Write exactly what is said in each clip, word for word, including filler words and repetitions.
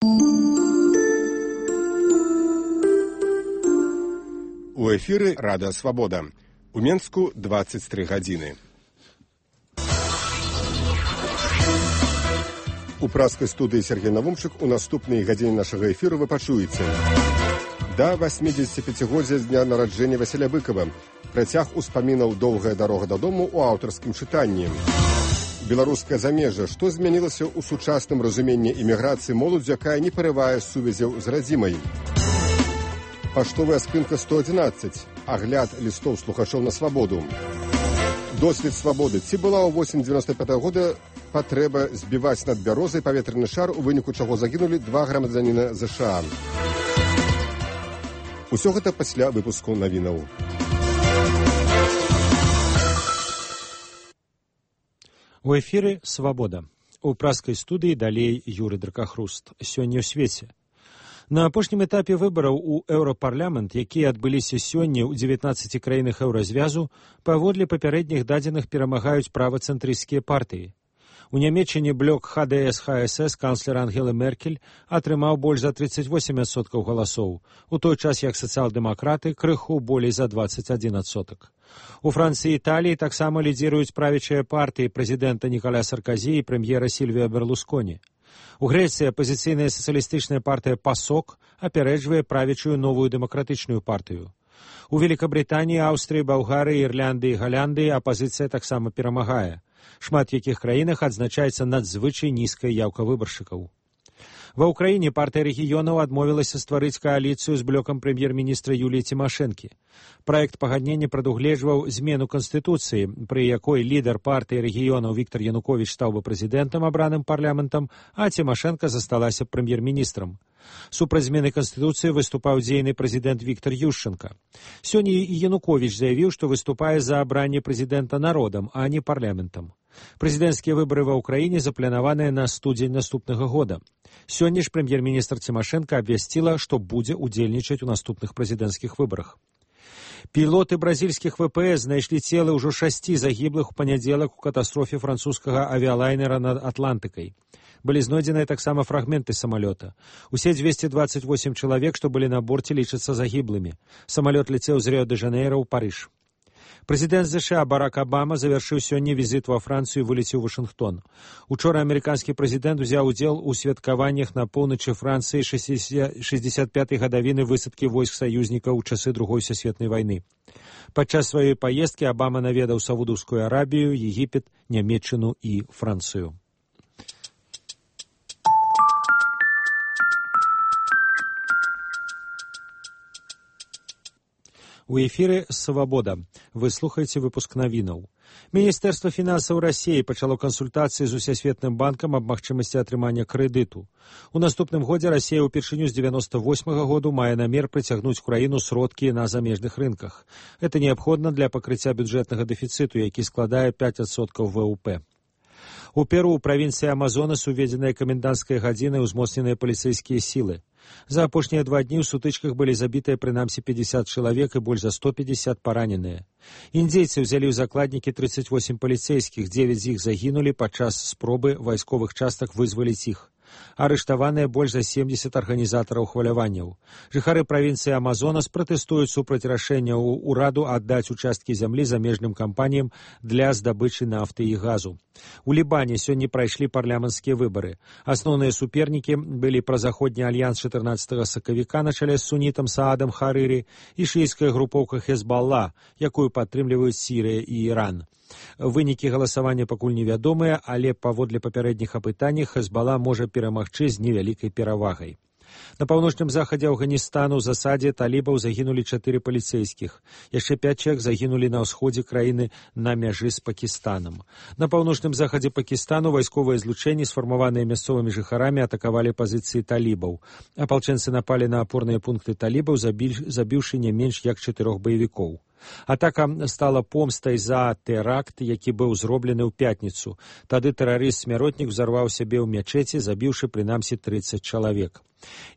У эфіры Радыё Свабода. У Менску дваццаць тры гадзіны. У праскай студыі Сергей Навумчык у наступнай гадзіне нашага эфіру вы пачуеце. Да васьмідзесяціпяцігоддзя з дня нараджэння Васіля Быкова. Працяг успамінаў «Доўгая дарога дадому» у аўтарскім чытанні. Беларускае замежжа. Што змянілася ў сучасным разуменні іміграцыі моладзь, якая не парывае сувязяў з радзімай? Паштовая скрынка сто адзінаццаць. Агляд лістоў слухачоў на свабоду. Дослед свабоды. Ці была ў восень дзевяноста пятага года патрэба збіваць над бярозай паветраны шар, у выніку чаго загінулі два грамадзяніна ЗША. Усё гэта пасля выпуску навінаў. У эфіры «Свабода». У праскай студыі далей Юрый Дракахруст. Сёння ў свеце. На апошнім этапе выбараў у Еўрапарламент, якія адбыліся сёння ў дзевятнаццаці краінах еўразвязу, паводле папярэдніх дадзеных перамагаюць правацэнтрысцкія партыі. У Нямецчыне блок ха дэ эс ха эс эс канцлер Ангела Меркель атрымаў больш за трыццаць восем адсоткаў галасоў, у той час як сацыял-дэмакраты крыху болей за дваццаць адзін адсотак. У Францыі і Італіі таксама лідзіруюць правячыя партыі прэзідэнта Нікаля Сарказі і прэм'ера Сільвія Берлусконі. У Грэцыі апазіцыйная сацыялістычная партыя ПАСОК апярэджвае правячую новую дэмакратычную партыю. У Великабрытаніі, Аўстрыі, Балгарыі, Ірландыі і Галандыі апазіцыя таксама перамагае. Шмат якіх краінах адзначаецца надзвычай нізкая яўка выбаршчыкаў. Ва ўкраіне партыя рэгіёнаў адмовілася стварыць кааліцыю з блокам прэм'ер-міністра Юліі Цімашэнкі. Праект пагаднення прадугледжваў змену канстытуцыі, пры якой лідар партыі рэгіёнаў Віктар Януковіч стаў бы прэзідэнтам, абраным парламентам, а Цімашэнка засталася прэм'ер-міністрам. Супраць змены канстытуцыі выступаў дзейны прэзідэнт Віктар Юшчанка. Сёння і Януковіч заявіў, што выступае за абранне прэзідэнта народам, а не парламентам. Прэзідэнцкія выбары ва ўкраіне запланаваныя на студзень наступнага года. Сёння ж прэм'ер-міністр Цімашэнка абвясціла, што будзе ўдзельнічаць у наступных прэзідэнцкіх выбарах. Пілоты бразільскіх вэ пэ эс знайшлі целы ўжо шасці загіблых у панядзелак у катастрофе французскага авіялайнера над Атлантыкай. Былі знойдзеныя таксама фрагменты самалёта. Усе дзвесце дваццаць восем чалавек, што былі на борце, лічацца загіблымі. Самалёт ляцеў з Рыё-дэ-Жанейра ў Парыж. Прэзідэнт ЗША Барак Абама завяршыў сёння візіт ва Францыю і вылецеў у Вашынгтон. Учора амерыканскі прэзідэнт узяў удзел у святкаваннях на поўначы Францыі шэсцьдзесят пятай гадавіны высадкі войск саюзнікаў у часы Другой сусветнай вайны. Падчас сваёй паездкі Абама наведаў Саудаўскую Арабію, Егіпет, Нямецчыну і Францыю. У эфіры «Свабода». Вы слухаеце выпуск навінаў. Міністэрства фінансаў Расіі пачало кансультацыі з Усесветным банкам аб магчымасці атрымання крэдыту. У наступным годзе Расія ўпершыню з дзевяноста восьмага году мае намер прыцягнуць краіну сродкі на замежных рынках. Гэта неабходна для пакрыцця бюджэтнага дэфіцыту, які складае пяць адсоткаў вэ у пэ. У Перу ў правінцыі Амазонас уведзеная каменданцкая гадзіна і ўзмоцненыя паліцэйскія сілы. За апошнія два дні ў сутычках былі забітыя прынамсі пятьдесят чалавек і больш за сто пятьдесят параненыя. Індзейцы ўзялі ў закладнікі трыццаць восем паліцэйскіх, дзевяць з іх загінулі падчас спробы вайсковых частак вызваліць іх. Арыштаваныя больш за семдзесят арганізатараў хваляванняў. Жыхары правінцыі Амазонас пратэстуюць супраць рашэння ўраду аддаць участкі зямлі замежным кампаніям для здабычы нафты і газу. У Лібане сёння прайшлі парламенцкія выбары. Асноўныя супернікі былі празаходні альянс чатырнаццатага сакавіка на чале з сунітам Саадам Харырі і шыіцкая групоўка Хезбалла, якую падтрымліваюць Сірыя і Іран. Вынікі галасавання пакуль невядомыя, але паводле папярэдніх апытанняў Хезбалла можа перамагчы з невялікай перавагай. На паўночным захадзе Афганістану ў засадзе талібаў загінулі чатыры паліцэйскіх. Яшчэ пяць чалавек загінулі на ўсходзе краіны на мяжы з Пакістанам. На паўночным захадзе Пакістану вайсковыя злучэнні, сфармаваныя мясцовымі жыхарамі, атакавалі пазіцыі талібаў. Апалчэнцы напалі на апорныя пункты талібаў, забіўшы не менш як чатырох баевікоў. Атака стала помстай за тэракт, які быў зроблены ў пятніцу. Тады тэрарыст-смяротнік узарваў сябе ў мячэці, забіўшы прынамсі трыццаць чалавек.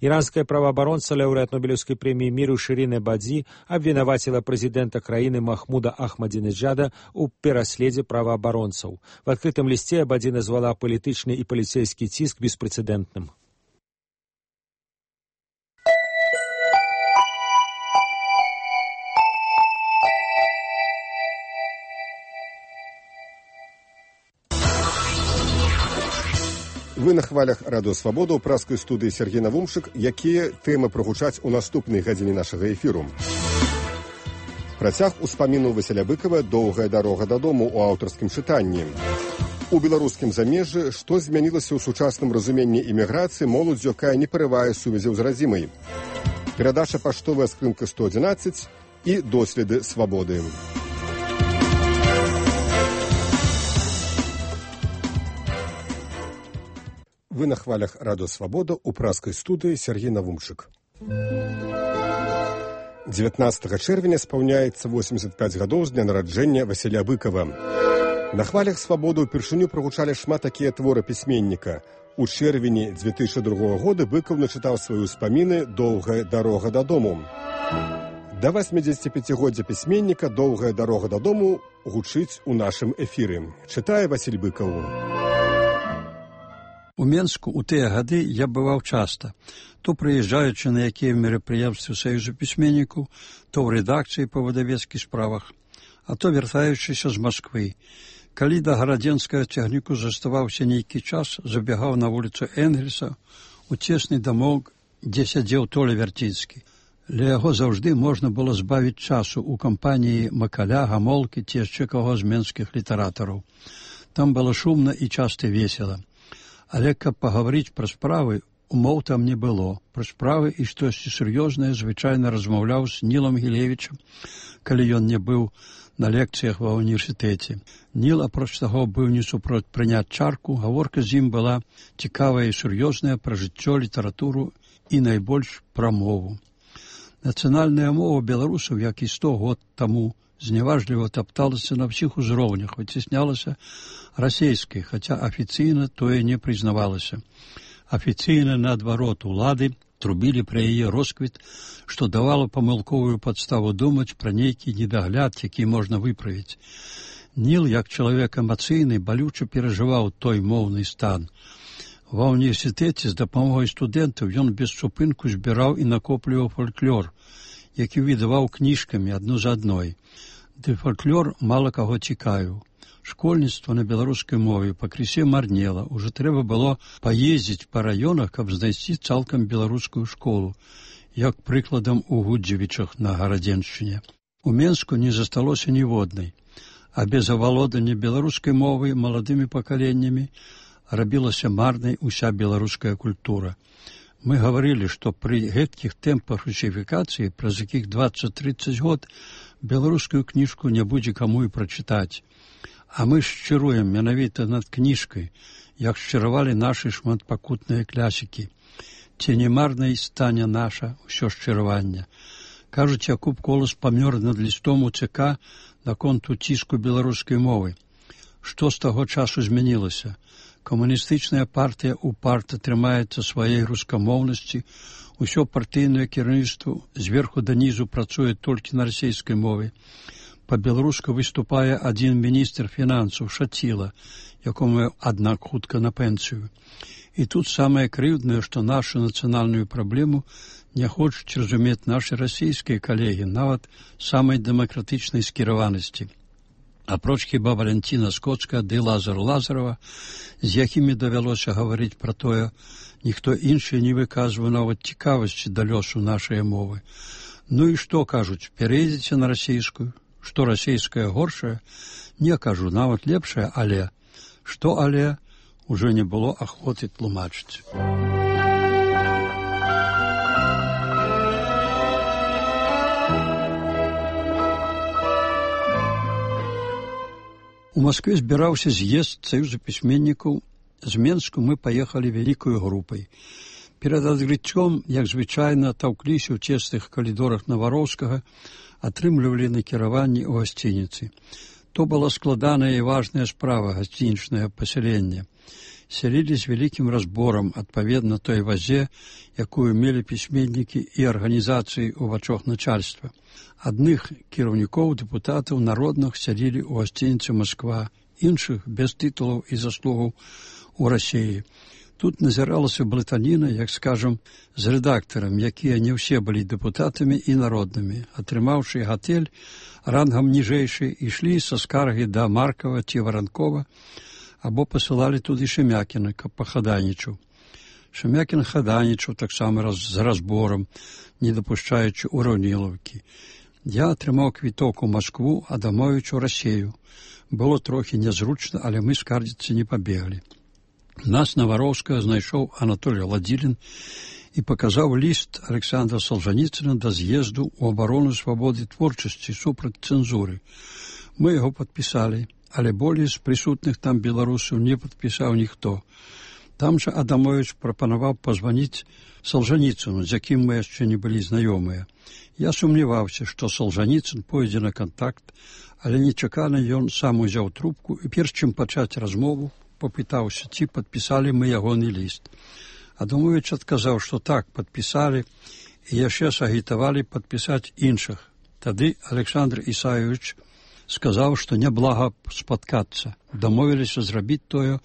Іранская праваабаронца, лаўрэат Нобелеўскай прэміі міру Шырін Эбадзі абвінаваціла прэзідэнта краіны Махмуда Ахмадзінеджада ў пераследзе праваабаронцаў. В адкрытым лісце Эбадзі назвала палітычны і паліцэйскі ціск беспрэцэдэнтным. Вы на хвалях радыё Свабода ў праскай студыі Сергей Навумшык, якія тэмы прагучаць у наступнай гадзіне нашага эфіру. Працяг успамінаў Васіля Быкава «Доўгая дарога дадому» ў аўтарскім чытанні. У беларускім замежжы што змянілася ў сучасным разуменні іміграцыі моладзь, якая не парывае сувязяў з радзімай. Перадача паштовая скрынка сто адзінаццаць і доследы свабоды. Вы на хвалях радыё Свабода ў праскай студыі Сергей Навумшык. дзевятнаццатага чэрвеня спаўняецца восемьдесят пять гадоў з дня нараджэння Васіля Быкава. На хвалях Свабоды ўпершыню прагучалі шмат такія творы пісьменніка. У чэрвені две тысячи другога года Быкаў начытаў свае ўспаміны «Доўгая дарога дадому». Да восьмидзесятипяцігоддзя пісьменніка «Доўгая дарога дадому» гучыць у нашым эфіры. Чытае Васіль Быкаў. У Менску ў тыя гады я бываў часта, то прыязджаючы на якія мерапрыемствы Саюзу пісьменнікаў, то ў рэдакцыі па выдавецкіх справах, а то вяртаючыся з Масквы. Калі да гарадзенскага цягніку заставаўся нейкі час, забягаў на вуліцу Энгельса у цесны дамок, дзе сядзеў Толя Вярціцкі. Ля яго заўжды можна было збавіць часу ў кампаніі Макаля, Гамолкі ці яшчэ каго з менскіх літаратараў. Там было шумна і часта весела. Але каб пагаварыць пра справы, умоў там не было. Пра справы і штосьці сур'ёзнае звычайна размаўляў з Нілам Гілевічам, калі ён не быў на лекцыях ва ўніверсітэце. Ніл, апроч таго, быў не супроць прыняць чарку, гаворка з ім была цікавая і сур'ёзная пра жыццё, літаратуру і найбольш пра мову. Нацыянальная мова беларусаў, як і сто год таму, зняважліва тапталася на ўсіх узроўнях, выцеснялася расейскай, хаця афіцыйна тое не прызнавалася. Афіцыйна, наадварот, улады трубілі пра яе росквіт, што давала памылковую падставу думаць пра нейкі недагляд, які можна выправіць. Ніл, як чалавек эмацыйны, балюча перажываў той моўны стан. Ва ўніверсітэце з дапамогай студэнтаў ён без супынку збіраў і накопліваў фальклор, які выдаваў кніжкамі адну за адной. Ды фальклор мала каго цікавіў. Школьніцтва на беларускай мове пакрысе марнела. Ужо трэба было паездзіць па раёнах, каб знайсці цалкам беларускую школу, як прыкладам у Гудзевічах на Гарадзеншчыне. У Менску не засталося ніводнай, а без авалодання беларускай мовы маладымі пакаленнямі рабілася марнай уся беларуская культура. Мы гаварылі, што пры гэткіх тэмпах русіфікацыі, праз якіх дваццаць-трыццаць год, беларускую кніжку не будзе каму і прачытаць. А мы шчыруем менавіта над кніжкай, як шчыравалі нашы шматпакутныя клясікі. Ці не марнай стане наша ўсё шчыраванне. Кажуць, Якуб Колас памёр над лістом у ЦК наконт уціску беларускай мовы. Што з таго часу змянілася? Камуністычная партыя упарта трымаецца сваёй рускамоўнасці, усё партыйнае кіраўніцтва зверху данізу працуе толькі на расейскай мове. Па-беларуску выступае адзін міністр фінансаў Шаціла, якому, аднак, хутка на пенсію. І тут самае крыўднае, што нашу нацыянальную праблему не хочуць разумець нашы расійскія калегі, нават самай дэмакратычнай скіраванасці. Апроч хіба Валянціна Скоцкая ды Лазар Лазарова, з якімі давялося гаварыць пра тое, ніхто іншы не выказвае нават цікавасці да лёсу нашай мовы. Ну і што, кажуць, перейдзеце на расійскую? Што расійская горшая? Не кажу, нават лепшая, але. Што але? Ужо не было ахвоты тлумачыць. У Маскве збіраўся з'езд Саюза пісьменнікаў. З Менску мы паехалі вялікаю групай. Перад адкрыццём, як звычайна, таўкліся ў цесных калідорах Навароўскага, атрымлівалі накіраванні ў гасцініцы. То была складаная і важная справа гасцінічнага пасялення. Сялілі з вялікім разборам, адпаведна той вазе, якую мелі пісьменнікі і арганізацыі ў вачах начальства. Адных кіраўнікоў, дэпутатаў народных сялілі ў гасцініцы Масква, іншых без тытулаў і заслугаў у Расіі. Тут назіралася блытаніна, як скажам, з рэдактарам, якія не ўсе былі дэпутатамі і народнымі. Атрымаўшы гатэль рангам ніжэйшы, ішлі са скаргі да Маркава ці Варанкова, або пасылалі туды Шемякіна, каб пахаданічаў. Шемякін хаданічаў таксама раз, з разборам, не дапушчаючы ўраўнілаўкі. Я атрымаў квіток у Маскву, Адамовіч у Расею. Было трохі нязручна, але мы скардзіцца не пабеглі. Нас на Вароўскага знайшоў Анатолій Ладзілін і паказаў ліст Александра Солжаніцына да з'езду ў абарону свабоды творчасці супраць цэнзуры. Мы яго падпісалі, але болей з прысутных там беларусаў не падпісаў ніхто. Там жа Адамовіч прапанаваў пазваніць Солжаніцыну, з якім мы яшчэ не былі знаёмыя. Я сумняваўся, што Солжаніцын пойдзе на кантакт, але нечакана ён сам узяў трубку і перш чым пачаць размову, попытаўся, ці падпісалі мы ягоны ліст. Адамовіч адказаў, што так, падпісалі і яшчэ сагітавалі падпісаць іншых. Тады Александр Ісаевич сказаў, што няблага спаткацца. Дамовіліся зрабіць тое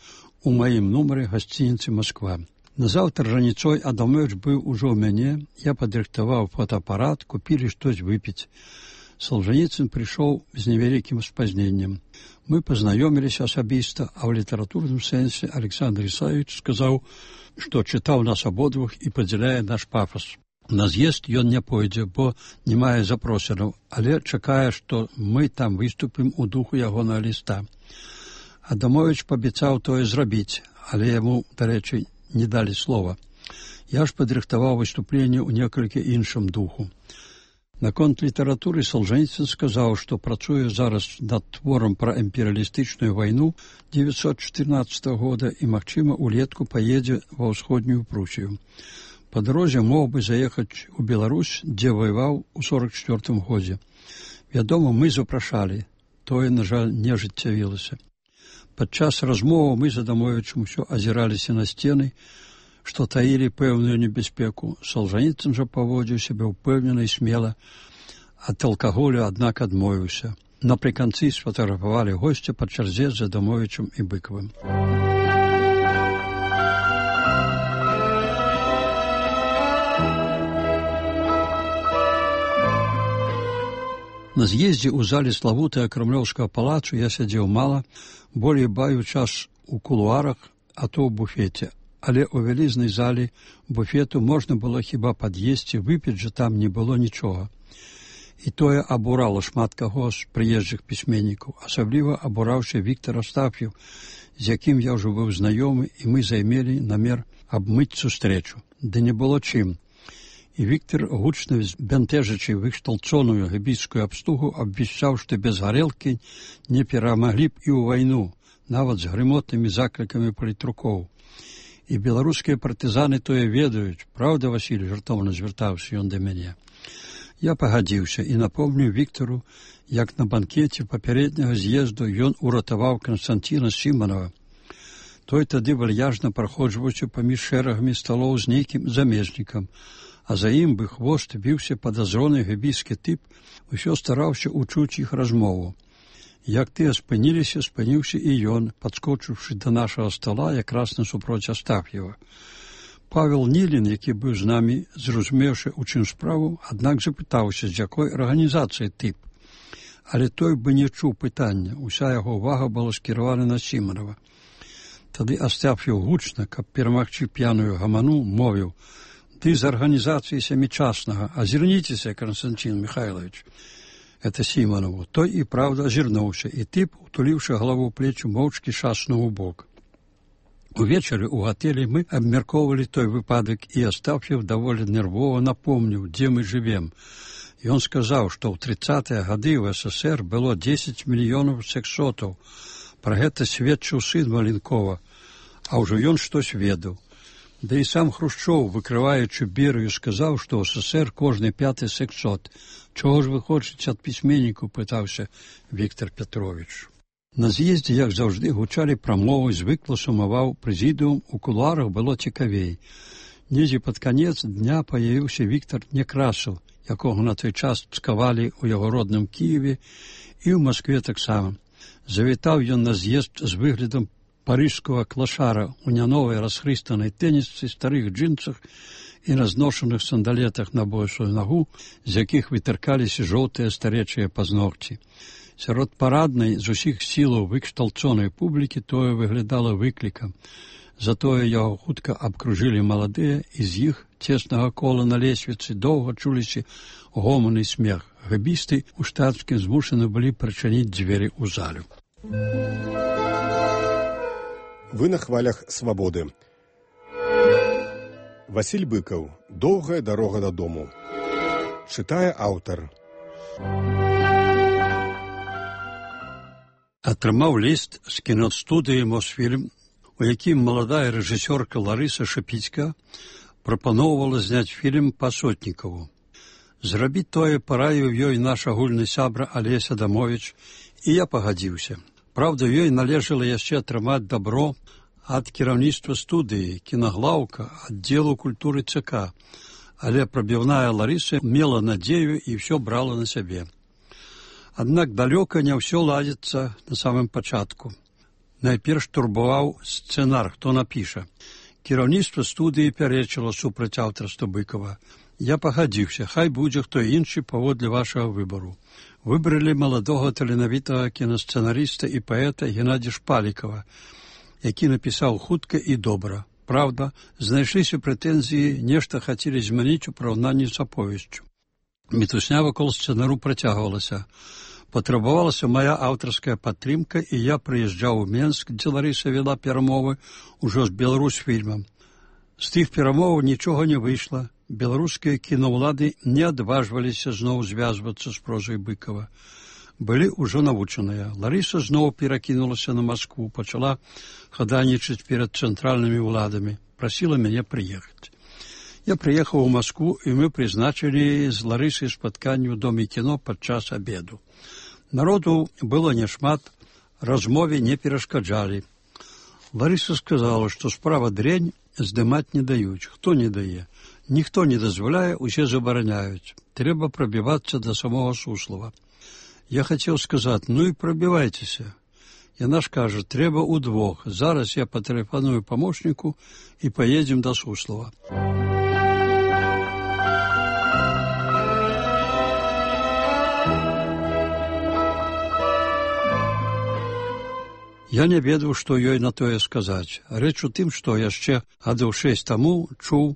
у маім нумары гасцініцы Москва. Назаўтра раніцой Адамовіч быў ужо ў мяне, я падрыхтаваў фотоапарат, купілі штось выпіць. Солжаніцын прыйшоў з невялікім спазненнем. Мы пазнаёміліся асабіста, а ў літаратурным сэнсе Александр Ісаевич сказаў, што чытаў нас абодвух і падзяляе наш пафас. На з'езд ён не пойдзе, бо не мае запрошанаў, але чакае, што мы там выступім у духу ягонага ліста. Адамовіч паабяцаў тое зрабіць, але яму, дарэчы, не далі слова. Я ж падрыхтаваў выступленне ў некалькі іншым духу. Наконт літаратуры Солжаніцын сказаў, што працуе зараз над творам пра імперыялістычную вайну дзевяцьсот чатырнаццатага года і, магчыма, улетку паедзе ва ўсходнюю Прусію. Па дарозе мог бы заехаць у Беларусь, дзе ваяваў у сорак чвёртым годзе. Вядома, мы запрашалі. Тое, на жаль, не ажыццявілася. Падчас размовы мы з Адамовічам усё азіраліся на сцены, што таілі пэўную небяспеку. Солжаніцын жа паводзіў сябе ўпэўнена і смела, ад алкаголю, аднак, адмовіўся. Напрыканцы сфатаграфавалі госця па чарзе з Адамовічам і Быкавым. На з'ездзе ў зале славутага крамлёўскага палацу я сядзеў мала, болей баю час у кулуарах, а то ў буфеце. Але ў вялізнай зале буфету можна было хіба пад'есці, выпіць жа там не было нічога. І тое абурала шмат каго з прыезджых пісьменнікаў. Асабліва абураўся Віктор Астаф'еў, з якім я ўжо быў знаёмы, і мы займелі намер абмыць сустрэчу. Ды не было чым. І Віктор, гучна збянтэжачы выкшталцоную габійскую абстугу, абвяшчаў, што без гарэлкі не перамаглі б і ў вайну, нават з грымотнымі заклікамі палітрукоў. І беларускія партызаны тое ведаюць. Праўда, Васіль, жартоўна звяртаўся ён да мяне. Я пагадзіўся і напомніў Віктору, як на банкеце папярэдняга з'езду ён уратаваў Канстанціна Сіманова. Той тады вальяжна праходжваўся паміж шэрагамі сталоў з нейкім замежнікам, а за ім бы хвост віўся падазроны габійскі тып, усё стараўся учуць іх размову. Як тыя спыніліся, спыніўся і ён, падскочыўшы да нашага стола якраз насупроць Астаф'ева. Павел Нілін, які быў з намі, зразумеўшы, у чым справу, аднак запытаўся, з якой арганізацыі тып. Але той бы не чуў пытання, уся яго ўвага была скіравана на Сіманова. Тады Астаф'еў гучна, каб перамагчы п'яную гаману, мовіў: «Ты з арганізацыі сямічаснага, азірніцеся, Константин Михайлович». Это Сіманову. Той і правда азірнуўся, і тып, утуліўшы галаву плечу, моўчкі шаснуў у бок. Увечары ў гатэлі мы абмяркоўвалі той выпадак, і Астаф'еў даволі нервова напомніў, дзе мы жывем. Ён сказаў, што ў трыццатыя гады ў СССР было дзесяць мільёнаў сексотаў. Пра гэта сведчыў сын Маленкова, а ўжо ён штось ведаў. Да і сам Хрушчоў, выкрываючы Берыю, сказаў, што ў СССР кожны пяты сексот. Чого ж вы хочаце ад пісьменнікаў, пытаўся Віктор Петрович. На з'ездзе, як заўжды, гучалі прамовы, звыкла сумаваў прэзідыум, у кулуарах было цікавей. Недзе пад канец дня паявіўся Віктор Некрасаў, якога на той час цкавалі ў яго родным Кіеве і ў Маскве таксама. Завітаў ён на з'езд з выглядам парыжскага клашара у няновай расхрыстанай тэнісцы, старых джинсах і разношаных сандалетах на бойшую нагу, з якіх вытыркаліся жоўтыя старечыя пазногці. Сярод параднай з усіх сілаў выкшталцонай публікі тое выглядала выклікам. Затое яго хутка абкружылі маладыя, і з іх цеснага кола на лесвіцы доўга чуліся гоман і смех. Гэбісты ў штатскім змушаны былі прачыніць дзверы ў залю. Вы на хвалях свабоды. Васіль Быкаў. Доўгая дарога дадому. Чытае аўтар. Атрымаў ліст з кінастудыі «Мосфільм», у якім маладая рэжысёрка Ларыса Шапіцька прапаноўвала зняць фільм па Сотнікаву. Зрабіць тое параіў ёй наш агульны сябра Алесь Адамовіч, і я пагадзіўся. Праўда, ёй належала яшчэ атрымаць дабро ад кіраўніцтва студыі, кінаглаўка, аддзелу культуры ЦК, але прабіўная Ларыса мела надзею і ўсё брала на сябе. Аднак далёка не ўсё ладзіцца на самым пачатку. Найперш турбаваў сцэнар, хто напіша. Кіраўніцтва студыі пярэчыла супраць аўтарства Быкава. Я пагадзіўся, хай будзе хто іншы паводле вашага выбару. Выбралі маладога таленавітага кінасцэнарыста і паэта Геннадзя Шпалікава, які напісаў хутка і добра. Праўда, знайшліся прэтэнзіі, нешта хацелі змяніць у параўнанні з аповесцю. Мітусня вакол сцэнару працягвалася. Патрабавалася мая аўтарская падтрымка, і я прыязджаў у Менск, дзе Ларыса вела перамовы ўжо з Беларусьфільмам. З тых перамоваў нічога не выйшла. Беларускія кінаўлады не адважваліся зноў звязвацца з прозай Быкава. Былі ўжо навучаныя. Ларыса зноў перакінулася на Маскву, пачала хадайнічаць перад цэнтральнымі ўладамі, прасіла мяне прыехаць. Я прыехаў у Маскву, і мы прызначылі з Ларысай спатканне ў доме кіно падчас абеду. Народу было няшмат, размове не перашкаджалі. Ларыса сказала, што справа дрэнь, здымаць не даюць. Хто не дае? Ніхто не дазваляе, усе забараняюць. Трэба прабівацца да самога Суслава. Я хацеў сказаць, ну і прабівайцеся. Яна ж кажа, трэба ўдвох. Зараз я патэлефаную памочніку і паедзем да Суслава. Я не ведаў, што ёй на тое сказаць. Рэч у тым, што яшчэ гадоў шэсць таму чуў,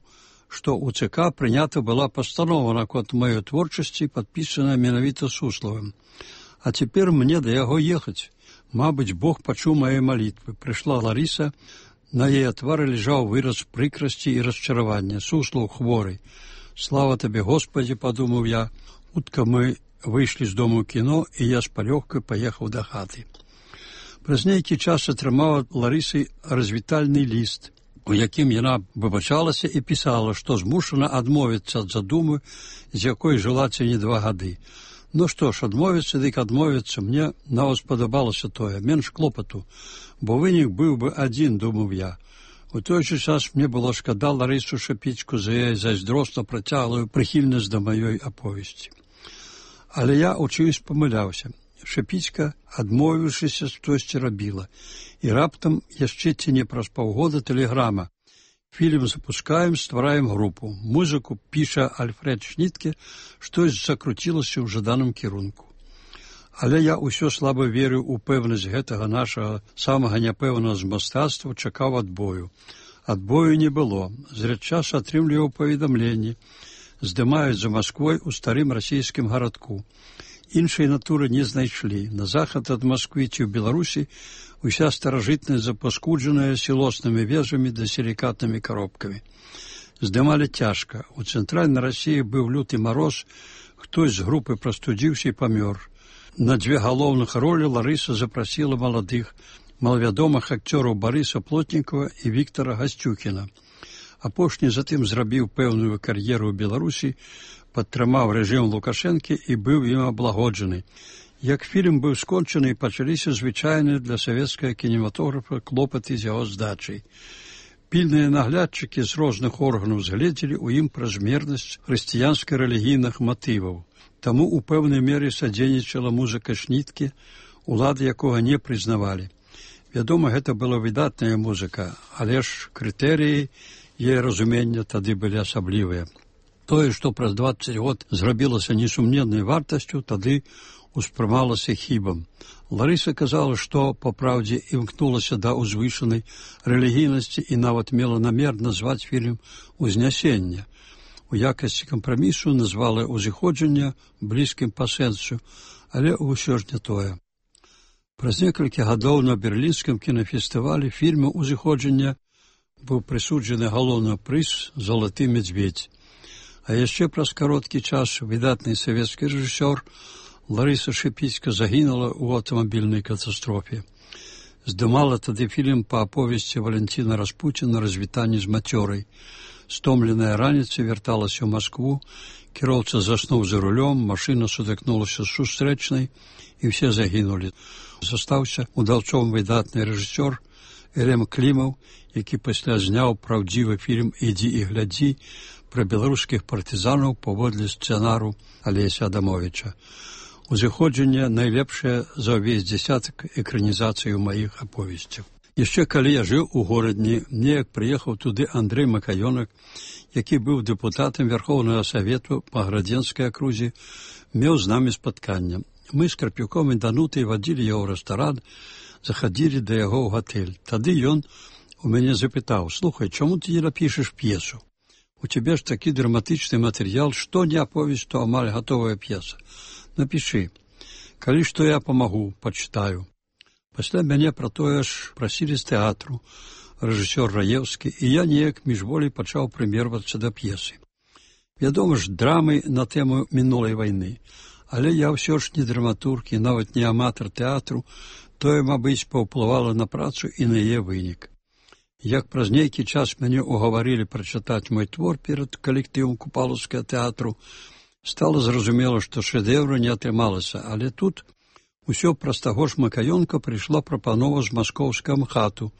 што ў ЦК прынята была пастанова наконт маёй творчасці, падпісаная менавіта Суславым. А цяпер мне да яго ехаць. Мабыць, Бог пачуў мае малітвы. Прыйшла Ларыса, на яе твары ляжаў выраз прыкрасці і расчаравання. Суслаў хворы. Слава табе, Господі, падумаў я. Хутка мы выйшлі з дому кіно, і я з палёгкай паехаў да хаты. Праз нейкі час атрымала Ларысай развітальны ліст, у якім яна выбачалася і пісала, што змушана адмовіцца ад задумы, з якой жыла ці не два гады. Ну што ж, адмовіцца, дык адмовіцца, мне нават спадабалася тое, менш клопату, бо вынік быў бы адзін, думаў я. У той жа час мне было шкада Ларысу Шапіцьку за яе зайздросна працяглую прыхільнасць да маёй аповесці. Але я учуюсь памыляўся. Шапіцька, адмовіўшыся, штосьці рабіла. І раптам яшчэ ці не праз паўгода тэлеграма. Фільм запускаем, ствараем групу. Музыку піша Альфред Шнітке, штось закруцілася ў жаданым кірунку. Але я ўсё слаба верыў у пэўнасць гэтага нашага самага няпэўнага з мастацтва, чакаў адбою. Адбою не было. Зрэдчас атрымліваў паведамленні. Здымаюць за Масквой у старым расійскім гарадку. Іншай натуры не знайшлі. На захад ад Масквы ці ў Беларусі уся старажытнасць запаскуджаная сілоснымі вежамі да сілікатнымі каробкамі. Здымалі цяжка. У цэнтральнай Расіі быў люты мароз, хтось з групы прастудзіўся і памёр. На дзве галоўных ролі Ларыса запрасіла маладых, малавядомых акцёраў Барыса Плотнікава і Віктара Гасцюкіна. Апошні затым зрабіў пэўную кар'еру ў Беларусі, падтрымаў рэжым Лукашэнкі і быў ім аблагоджаны. Як фільм быў скончаны, пачаліся звычайныя для савецкага кінематографа клопаты з яго здачай. Пільныя наглядчыкі з розных органаў згледзелі ў ім празмернасць хрысціянска-рэлігійных матываў. Таму ў пэўнай мере садзейнічала музыка Шніткі, улады якога не прызнавалі. Вядома, гэта была выдатная музыка, але ж крытэрыі яе разумення тады былі асаблівыя. Тое, што праз дваццаць год зрабілася несумненнай вартасцю, тады успрымалася хібам. Ларыса казала, што, па праўдзе, імкнулася да ўзвышанай рэлігійнасці і нават мела намер назваць фільм «Узнясенне». У якасці кампрамісу назвала «Узыходжанне» блізкім па сэнсу, але ўсё ж не тое. Праз некалькі гадоў на берлінскім кінафестывалі фільму «Узыходжанне» быў прысуджаны галоўны прыз «Залаты медведь». А яшчэ праз кароткі час выдатны савецкі рэжысёр Ларыса Шипіцька загінула ў аўтамабільнай катастрофе. Здымала тады фільм па аповесці Валентина Распуціна «Развітанне з мацёрай». Стомленая раніцай вярталася ў Маскву, кіроўца заснуў за рулём, машына сутыкнулася з сустрэчнай, і ўсе загінулі. Застаўся удаўцом выдатны рэжысёр Элем Клімаў, які пасля зняў праўдзівы фільм «Ідзі і глядзі» пра беларускіх партызанаў паводле сцэнару Алеся Адамовіча. «Узыходжанне» найлепшае за ўвесь дзясятак экранізацый у маіх аповесцях. Яшчэ калі я жыў у горадні, неяк прыехаў туды Андрэй Макаёнак, які быў дэпутатам Верхоўнага Савету па Градзенскай акрузе, меў з намі спатканне. Мы з Карпюком і Данутай вадзілі яго ў рэстаран, захадзілі да яго ў гатэль. Тады ён у мяне запытаў: «Слухай, чаму ты не напішаш п'есу? У цябе ж такі драматычны матэрыял, што не аповесць, то амаль гатовая п'еса. Напішы. Калі што я памагу, пачытаю». Пасля мяне пра тое ж прасілі з тэатру рэжысёр Раеўскі, і я неяк міжволі пачаў прымервацца да п'есы. Вядома ж, драмы на тэму мінулай вайны, але я ўсё ж не драматург і нават не аматар тэатру, тое, мабыць, паўплывала на працу і на яе вынік. Як праз нейкі час мяне угаварылі прачытаць мой твор перад калектывам Купалаўскага тэатру, стала зразумела, што шэдэўра не атрымалася, але тут усё праз таго ж Макаёнка прыйшла прапанова з маскоўскага МХАТу.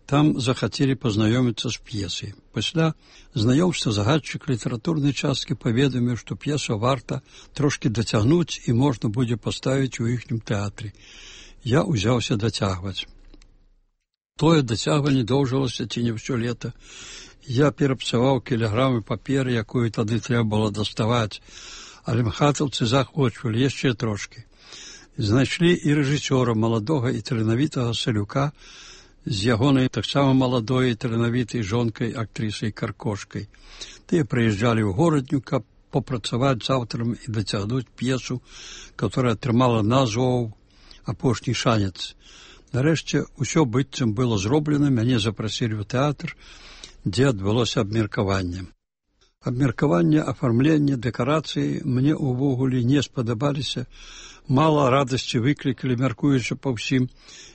Там захацелі пазнаёміцца з п'есай. Пасля знаёмства загадчык літаратурнай часткі паведаміў, што п'есу варта трошкі дацягнуць і можна будзе паставіць у іхнім тэатры. Я ўзяўся дацягваць. Тое дацягванне доўжылася ці не ўсё лета. Я перапсаваў кілаграмы паперы, якую тады трэба было даставаць, але мхатаўцы захвочвалі яшчэ трошкі. Знайшлі і рэжысёра маладога і таленавітага Салюка з ягонай таксама маладой і таленавітай жонкай актрысай Каркошкай. Тыя прыязджалі ў горадню, каб попрацаваць з аўтарам і дацягнуць п'есу, которая атрымала назву «Апошні шанец». Нарэшце, усё быццам было зроблена, мяне запрасілі ў тэатр, дзе адбылося абмеркаванне. Абмеркаванне, афармленне, дэкарацыі мне ўвогуле не спадабаліся. Мала радасці выклікалі, мяркуючы па ўсім,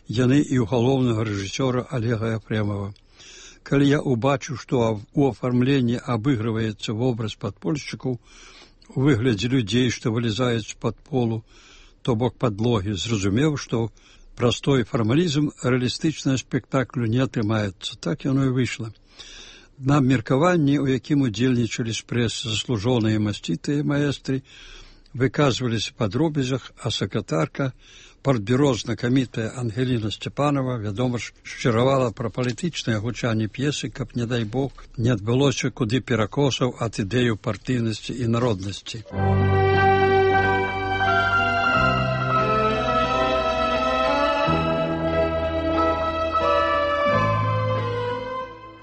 яны і ў галоўнага рэжысёра Олега Ефремова. Калі я убачыў, што у афармленні абыгрываецца вобраз падпольшчыкаў у выглядзе людзей, што вылезаюць з-пад полу, то бок падлогі, зразумеў, што простой фармалізм рэалістычнага спектаклю не атрымаецца. Так яно і выйшла. На абмеркаванні, у якім удзельнічалі з прэсы заслужоныя масцітыя маэстры, выказваліся па дробязях, а сакратарка, партбюро знакамітая Ангеліна Сцепанова, вядома ж, шчыравала пра палітычнае гучанне п'есы, каб, не дай Бог, не адбылося куды перакосаў ад ідэю партыйнасці і народнасці.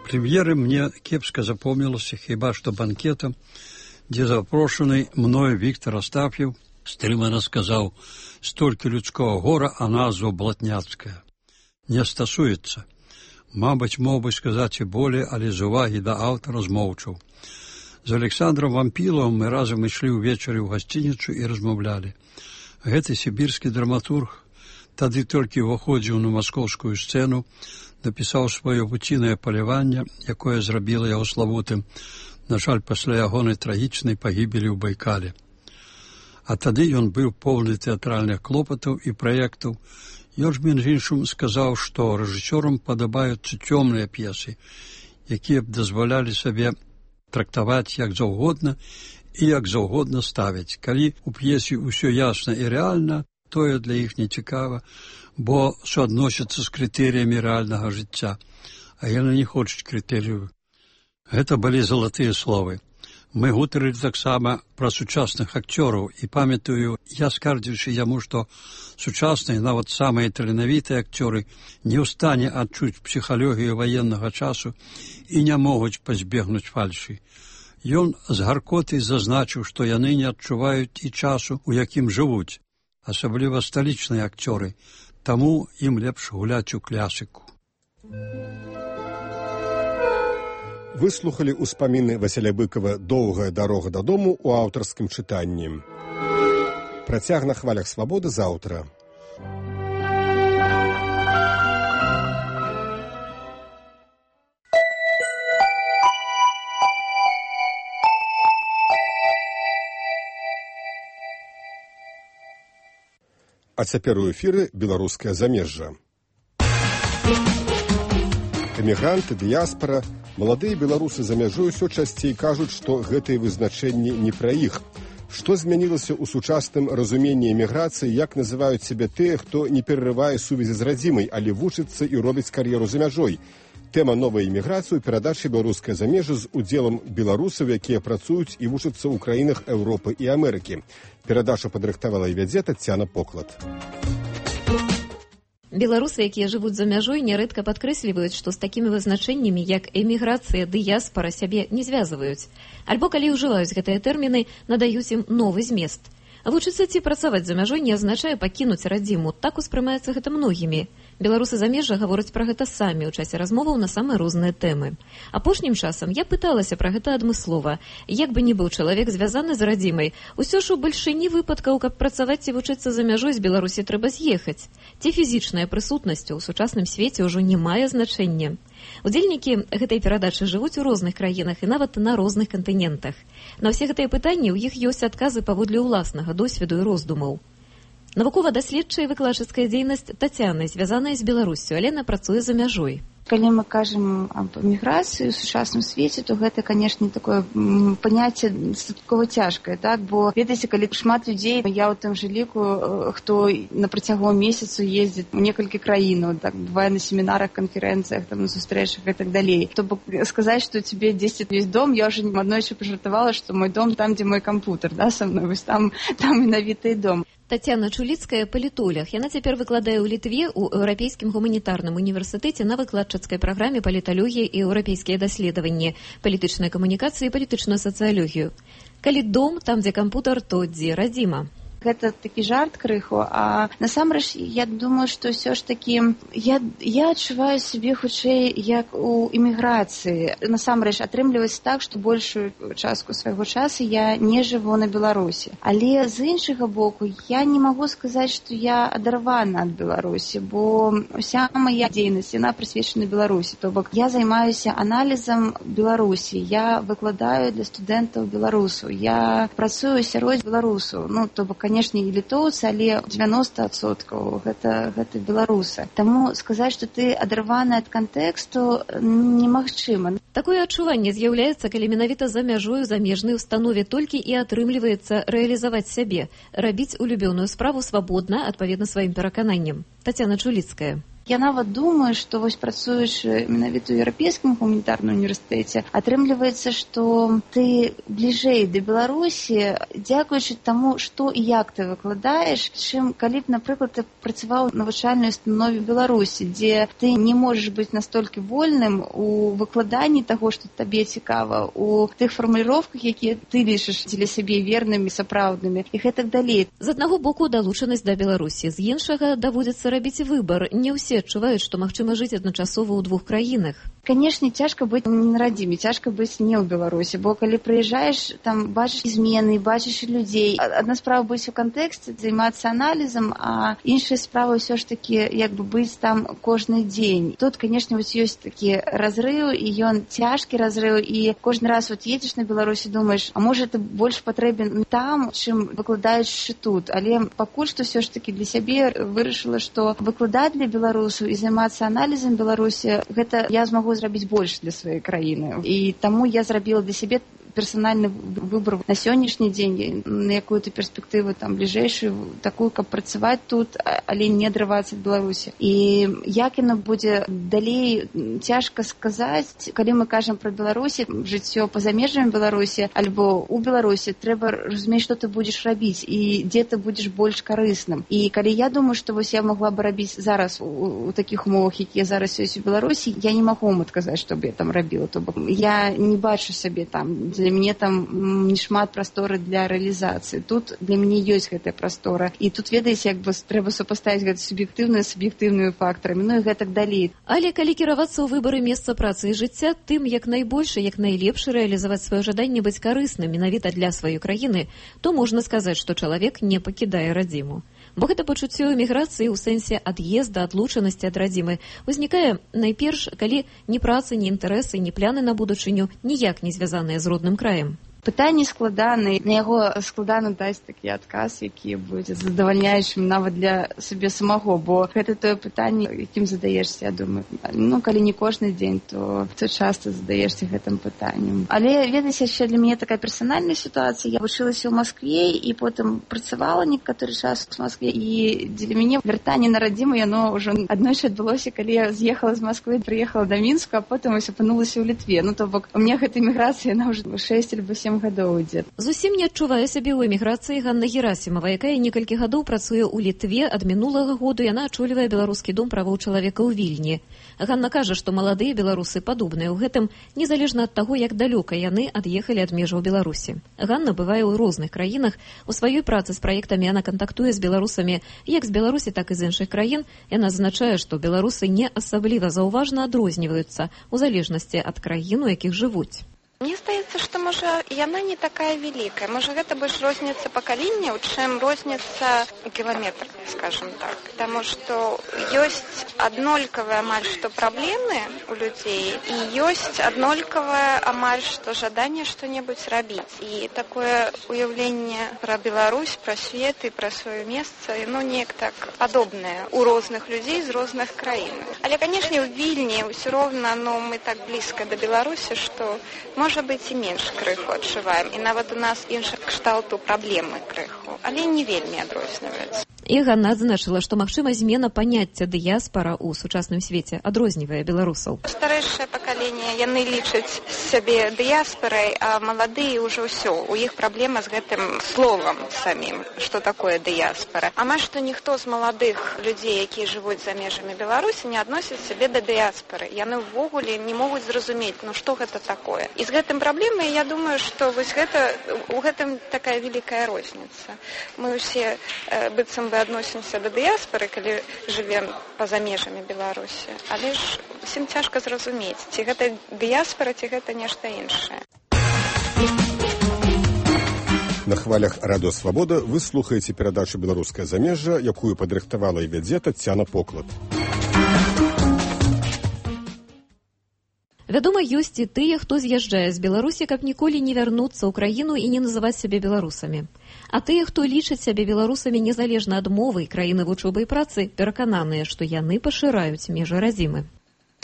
Прэм'еры мне кепска запомнілася хіба што банкетам, дзе запрошаны мною Віктор Астаф'ев стрымана сказаў: «Столькі людского гора, а назва блатняцкая. Не стасуецца». Мабыць, мог бы сказаць і болей, але з увагі да аўтара змоўчаў. З Александром Вампіловым мы разам ішлі ўвечары ў гасцініцу і размаўлялі. Гэты сібірскі драматург тады толькі ўваходзіў на маскоўскую сцэну, напісаў сваё вуцінае паляванне, якое зрабіла яго славутым, на жаль, пасля ягонай трагічнай пагібелі ў Байкале. А тады ён быў поўны тэатральных клопатаў і праектаў. Ён ж, між іншым, сказаў, што рэжысёрам падабаюцца цёмныя п'есы, якія б дазвалялі сабе трактаваць як заўгодна і як заўгодна ставіць. Калі у п'есе ўсё ясна і рэальна, тое для іх не цікава, бо суадносяцца з крытэрыямі рэальнага жыцця, а яны не хочуць крытэрыяў. Гэта былі залатыя словы. Мы гутарылі таксама пра сучасных акцёраў, і памятаю, я скардзіўся яму, што сучасныя, нават самыя таленавітыя акцёры не ў стане адчуць псіхалогію ваеннага часу і не могуць пазбегнуць фальшы. Ён з гаркотай зазначыў, што яны не адчуваюць і часу, у якім жывуць, асабліва сталічныя акцёры, таму ім лепш гуляць у клясіку. Выслухалі ўспаміны Васіля Быкова «Доўгая дарога дадому» у аўтарскім чытанні. Працяг на хвалях свабоды заўтра. А цяпер у эфіры беларускае замежжа. Эмігранты, дыяспара, маладыя беларусы за мяжой усё часцей кажуць, што гэтыя вызначэнні не пра іх. Што змянілася ў сучасным разуменні эміграцыі, як называюць сябе тыя, хто не перарывае сувязі з радзімай, але вучыцца і робіць кар'еру за мяжой. Тэма новай эміграцыі ў перадачы «Беларускае замежжа» з удзелам беларусаў, якія працуюць і вучацца ў краінах Еўропы і Амерыкі. Перадачу падрыхтавала і вядзе Тацяна Поклад. Беларусы, якія жывуць за мяжой, нярэдка падкрэсліваюць, што з такімі вызначэннямі, як эміграцыя, дыяспара, сябе не звязваюць. Альбо, калі ўжываюць гэтыя тэрміны, надаюць ім новы змест. Вучыцца ці працаваць за мяжой не азначае пакінуць радзіму. Так успрымаецца гэта многімі. Беларусы замежжа гавораць пра гэта самі ў часе размоваў на самыя розныя тэмы. Апошнім часам я пыталася пра гэта адмыслова. Як бы ні быў чалавек звязаны з радзімай, усё ж у бальшыні выпадкаў, каб працаваць ці вучыцца за мяжой, з Беларусі трэба з'ехаць. Ці фізічная прысутнасць у сучасным свеце ўжо не мае значэння. Удзельнікі гэтай перадачы жывуць у розных краінах і нават на розных кантынентах. На ўсе гэтыя пытанні ў іх ёсць адказы паводле ўласнага досведу і роздумаў. Навукова-даследчая і выкладчыцкая дзейнасць Тацяны звязаная з Беларуссю, але яна працуе за мяжой. Калі мы кажам аб эміграцыі ў сучасным свеце, то гэта, канешне, такое паняцце дастаткова цяжкае, так? Бо, ведаеце, калі шмат людзей, я ў тым жа ліку, хто на працягу месяцу ездзіць у некалькі краінаў, так, бывае на семінарах, канферэнцыях, там, на сустрэчах і так далей. То бок сказаць, што у цябе дзесьці ёсць дом, я ўжо аднойчы пажартавала, што мой дом там, дзе мой кампутер, да, са мной, вось там, там менавіта і дом. Тацяна Чуліцкая – палітолог. Яна цяпер выкладае ў Літве ў Еўрапейскім гуманітарным універсітэце на выкладчыцкай праграме паліталогія і еўрапейскія даследаванні, палітычная камунікацыя і палітычную сацыялогію. Калі дом, там, дзе кампутар, то дзе радзіма. Гэта такі жарт крыху, а насамрэч я думаю, што ўсё ж такі я, я адчуваю сябе хутчэй як у эміграцыі. Насамрэч атрымліваецца так, што большую частку свайго часу я не жыву на Беларусі. Але з іншага боку я не магу сказаць, што я адарвана ад Беларусі, бо ўся мая дзейнасць, яна прысвечана Беларусі. То бок я займаюся аналізам Беларусі, я выкладаю для студэнтаў беларусаў, я працую сярод беларусаў, ну, то бок, конечно, і літоўцы, але дзевяносто адсоткаў гэта, гэта беларусы. Таму сказаць, што ты адарваны ад кантэксту, немагчыма. Такое адчуванне з'яўляецца, калі менавіта за мяжою замежнай установе толькі і атрымліваецца рэалізаваць сябе, рабіць улюбёную справу свабодна, адпаведна сваім перакананням. Тацяна Чуліцкая. Я нават думаю, што вось працуючы менавіта ў Еўрапейскім гуманітарным універсітэце, атрымліваецца, што ты бліжэй да Беларусі, дзякуючы таму, што і як ты выкладаеш, чым калі б, напрыклад, ты працаваў у навучальнай установе Беларусі, дзе ты не можаш быць настолькі вольным у выкладанні таго, што табе цікава, у тых фармуліроўках, якія ты лічыш дзеля сябе вернымі, сапраўднымі і гэтак далей. З аднаго боку далучанасць да Беларусі, з іншага даводзіцца рабіць выбар. Не ўсе адчуваюць, што магчыма жыць адначасова ў двух краінах. Канешне, цяжка быць не на радзіме, цяжка быць не ў Беларусі, бо калі прыязджаеш, там бачыш змены, бачыш людзей. Адна справа быць у кантэксце, займацца аналізам, а іншая справа ўсё ж такі як бы быць там кожны дзень. Тут, канешне, вось ёсць такі разрыў, і ён цяжкі разрыў, і кожны раз вот едзеш на Беларусі, думаеш, а можа ты больш патрэбен там, чым выкладаючы тут. Але пакуль што ўсё ж такі для сябе вырашыла, што выкладаць для Беларусі і займацца аналізам Беларусі, гэта я змагу зрабіць больш для сваёй краіны. І таму я зрабіла для сябе персанальны выбор на сённяшні дзень, на якую-то перспектыву там бліжэйшую, такую, каб працаваць тут, але не адрывацца ад Беларусі. І як яно будзе далей, цяжка сказаць. Калі мы кажам пра Беларусі, жыццё па-за межамі Беларусі альбо у Беларусі, трэба разумець, што ты будзеш рабіць і дзе ты будзеш больш карысным. І калі я думаю, што вось я могла бы рабіць зараз у, у такіх умовах, якія зараз ёсць у Беларусі, я не магу вам адказаць, што б я там рабіла. То бок я не бачу сабе там, для мяне там не шмат прасторы для рэалізацыі. Тут для мяне ёсць гэтая прастора. І тут, ведаеце, як бы трэба супаставіць гэта суб'ектыўныя з суб'ектыўнымі фактарамі, ну і гэтак далей. Але калі кіравацца ў выбары месца працы і жыцця, тым, як найбольш, як найлепш рэалізаваць сваё жаданне быць карысным менавіта для сваёй краіны, то можна сказаць, што чалавек не пакідае радзіму. Бо гэта пачуццё эміграцыі ў сэнсе ад'езда, адлучанасці ад радзімы узнікае найперш, калі ні працы, ні інтарэсы, ні пляны на будучыню ніяк не звязаныя з родным краем. Пытанне складанае, на яго складана даць такі адказ, які будзе задавальняючым нават для сабе самого, бо гэта тое пытанне, якім задаешся, я думаю. Ну, калі не кожны дзень, то, то часта задаешся гэтым пытаннем. Але, ведаеце, яшчэ для мяне такая персанальная сітуацыя. Я вучылася ў Маскве і потым працавала некаторы час у Маскве, і для мяне вяртанне на радзіму, яно ўжо аднойчы адбылося, калі я з'ехала з Масквы, прыехала да Мінска, а потым ось апынулася ў Літве. Ну, то бок, у мяне гэта эміграцыя, яна ўжо шэсць альбо сем гадоў ідзе. Зусім не адчувае сябе ў эміграцыі Ганна Герасімова, якая некалькі гадоў працуе ў Літве. Ад мінулага году яна ачолівае беларускі дом правоў чалавека ў Вільні. Ганна кажа, што маладыя беларусы падобныя ў гэтым, незалежна ад таго, як далёка яны ад'ехалі ад межаў Беларусі. Ганна бывае ў розных краінах. У сваёй працы з праектамі яна кантактуе з беларусамі як з Беларусі, так і з іншых краін. Яна зазначае, што беларусы не асабліва заўважна адрозніваюцца ў залежнасці ад краін, у якіх жывуць. Мне здаецца, што, можа, яна не такая вялікая. Можа, гэта больш розніца пакаленняў, чым розніца кіламетр, скажем так. Таму што ёсць аднолькавыя амаль што праблемы ў людзей і ёсць аднолькавае амаль што жаданне што-небудзь рабіць. І такое уяўленне пра Беларусь, пра свет і пра сваё месца, ну, неяк так падобнае ў розных людзей з розных краін. Але, канешне, ў Вільні ўсё роўна, ну, мы так блізка да Беларусі, што можа быць, і менш крыху адчуваем. І нават у нас іншых кшталту праблемы крыху, але не вельмі адрозніваюцца. І Ганна адзначыла, што магчыма змена паняцця дыяспара ў сучасным свеце адрознівае беларусаў. Старэйшае пакаленне, яны лічаць сябе дыяспарай, а маладыя ўжо ўсё. У іх праблема з гэтым словам самім, што такое дыяспара. Амаль што ніхто з маладых людзей, якія жывуць за межамі Беларусі, не адносіць сябе да дыяспары. Яны ўвогуле не могуць зразумець, ну што гэта такое. І з гэтым праблемай, я думаю, што вось гэта, у гэтым такая вялікая розніца. Мы ўсе э, быццам бы адносімся да дыяспары, калі жывем па-за межамі Беларусі. Але ж усім цяжка зразумець, ці гэта дыяспара, ці гэта нешта іншае. На хвалях Радыё Свабода вы слухаеце перадачу «Беларускае замежжа», якую падрыхтавала і вядзе Таццяна Поклад. Вядома, ёсць і тыя, хто з'язджае з Беларусі, каб ніколі не вярнуцца ў краіну і не называць сябе беларусамі. А тыя, хто лічаць сябе беларусамі незалежна ад мовы, краіны вучобы і працы, перакананыя, што яны пашыраюць межы радзімы.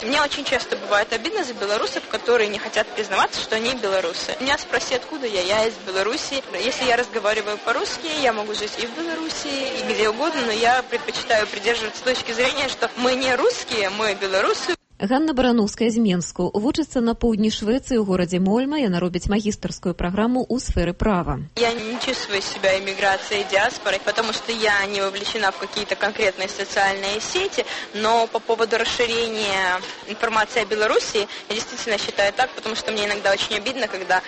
Мне очень часто бывает обидно за белорусов, которые не хотят признаваться, что они белорусы. Меня спроси, откуда я, я из Беларуси. Если я разговариваю по-русски, я могу жить и в Беларуси, и где угодно, но я предпочитаю придерживаться точки зрения, что мы не русские, мы белорусы. Ганна Барановская з Менску вучыцца на поўдні Швеции ў горадзе Мольма. Яна робіць магістарскую программу ў сферы права. Я не чувствую себя эмиграцией и диаспорой, потому что я не вовлечена в какие-то конкретные социальные сети, но по поводу расширения информации о Беларуси я действительно считаю так, потому что мне иногда очень обидно, когда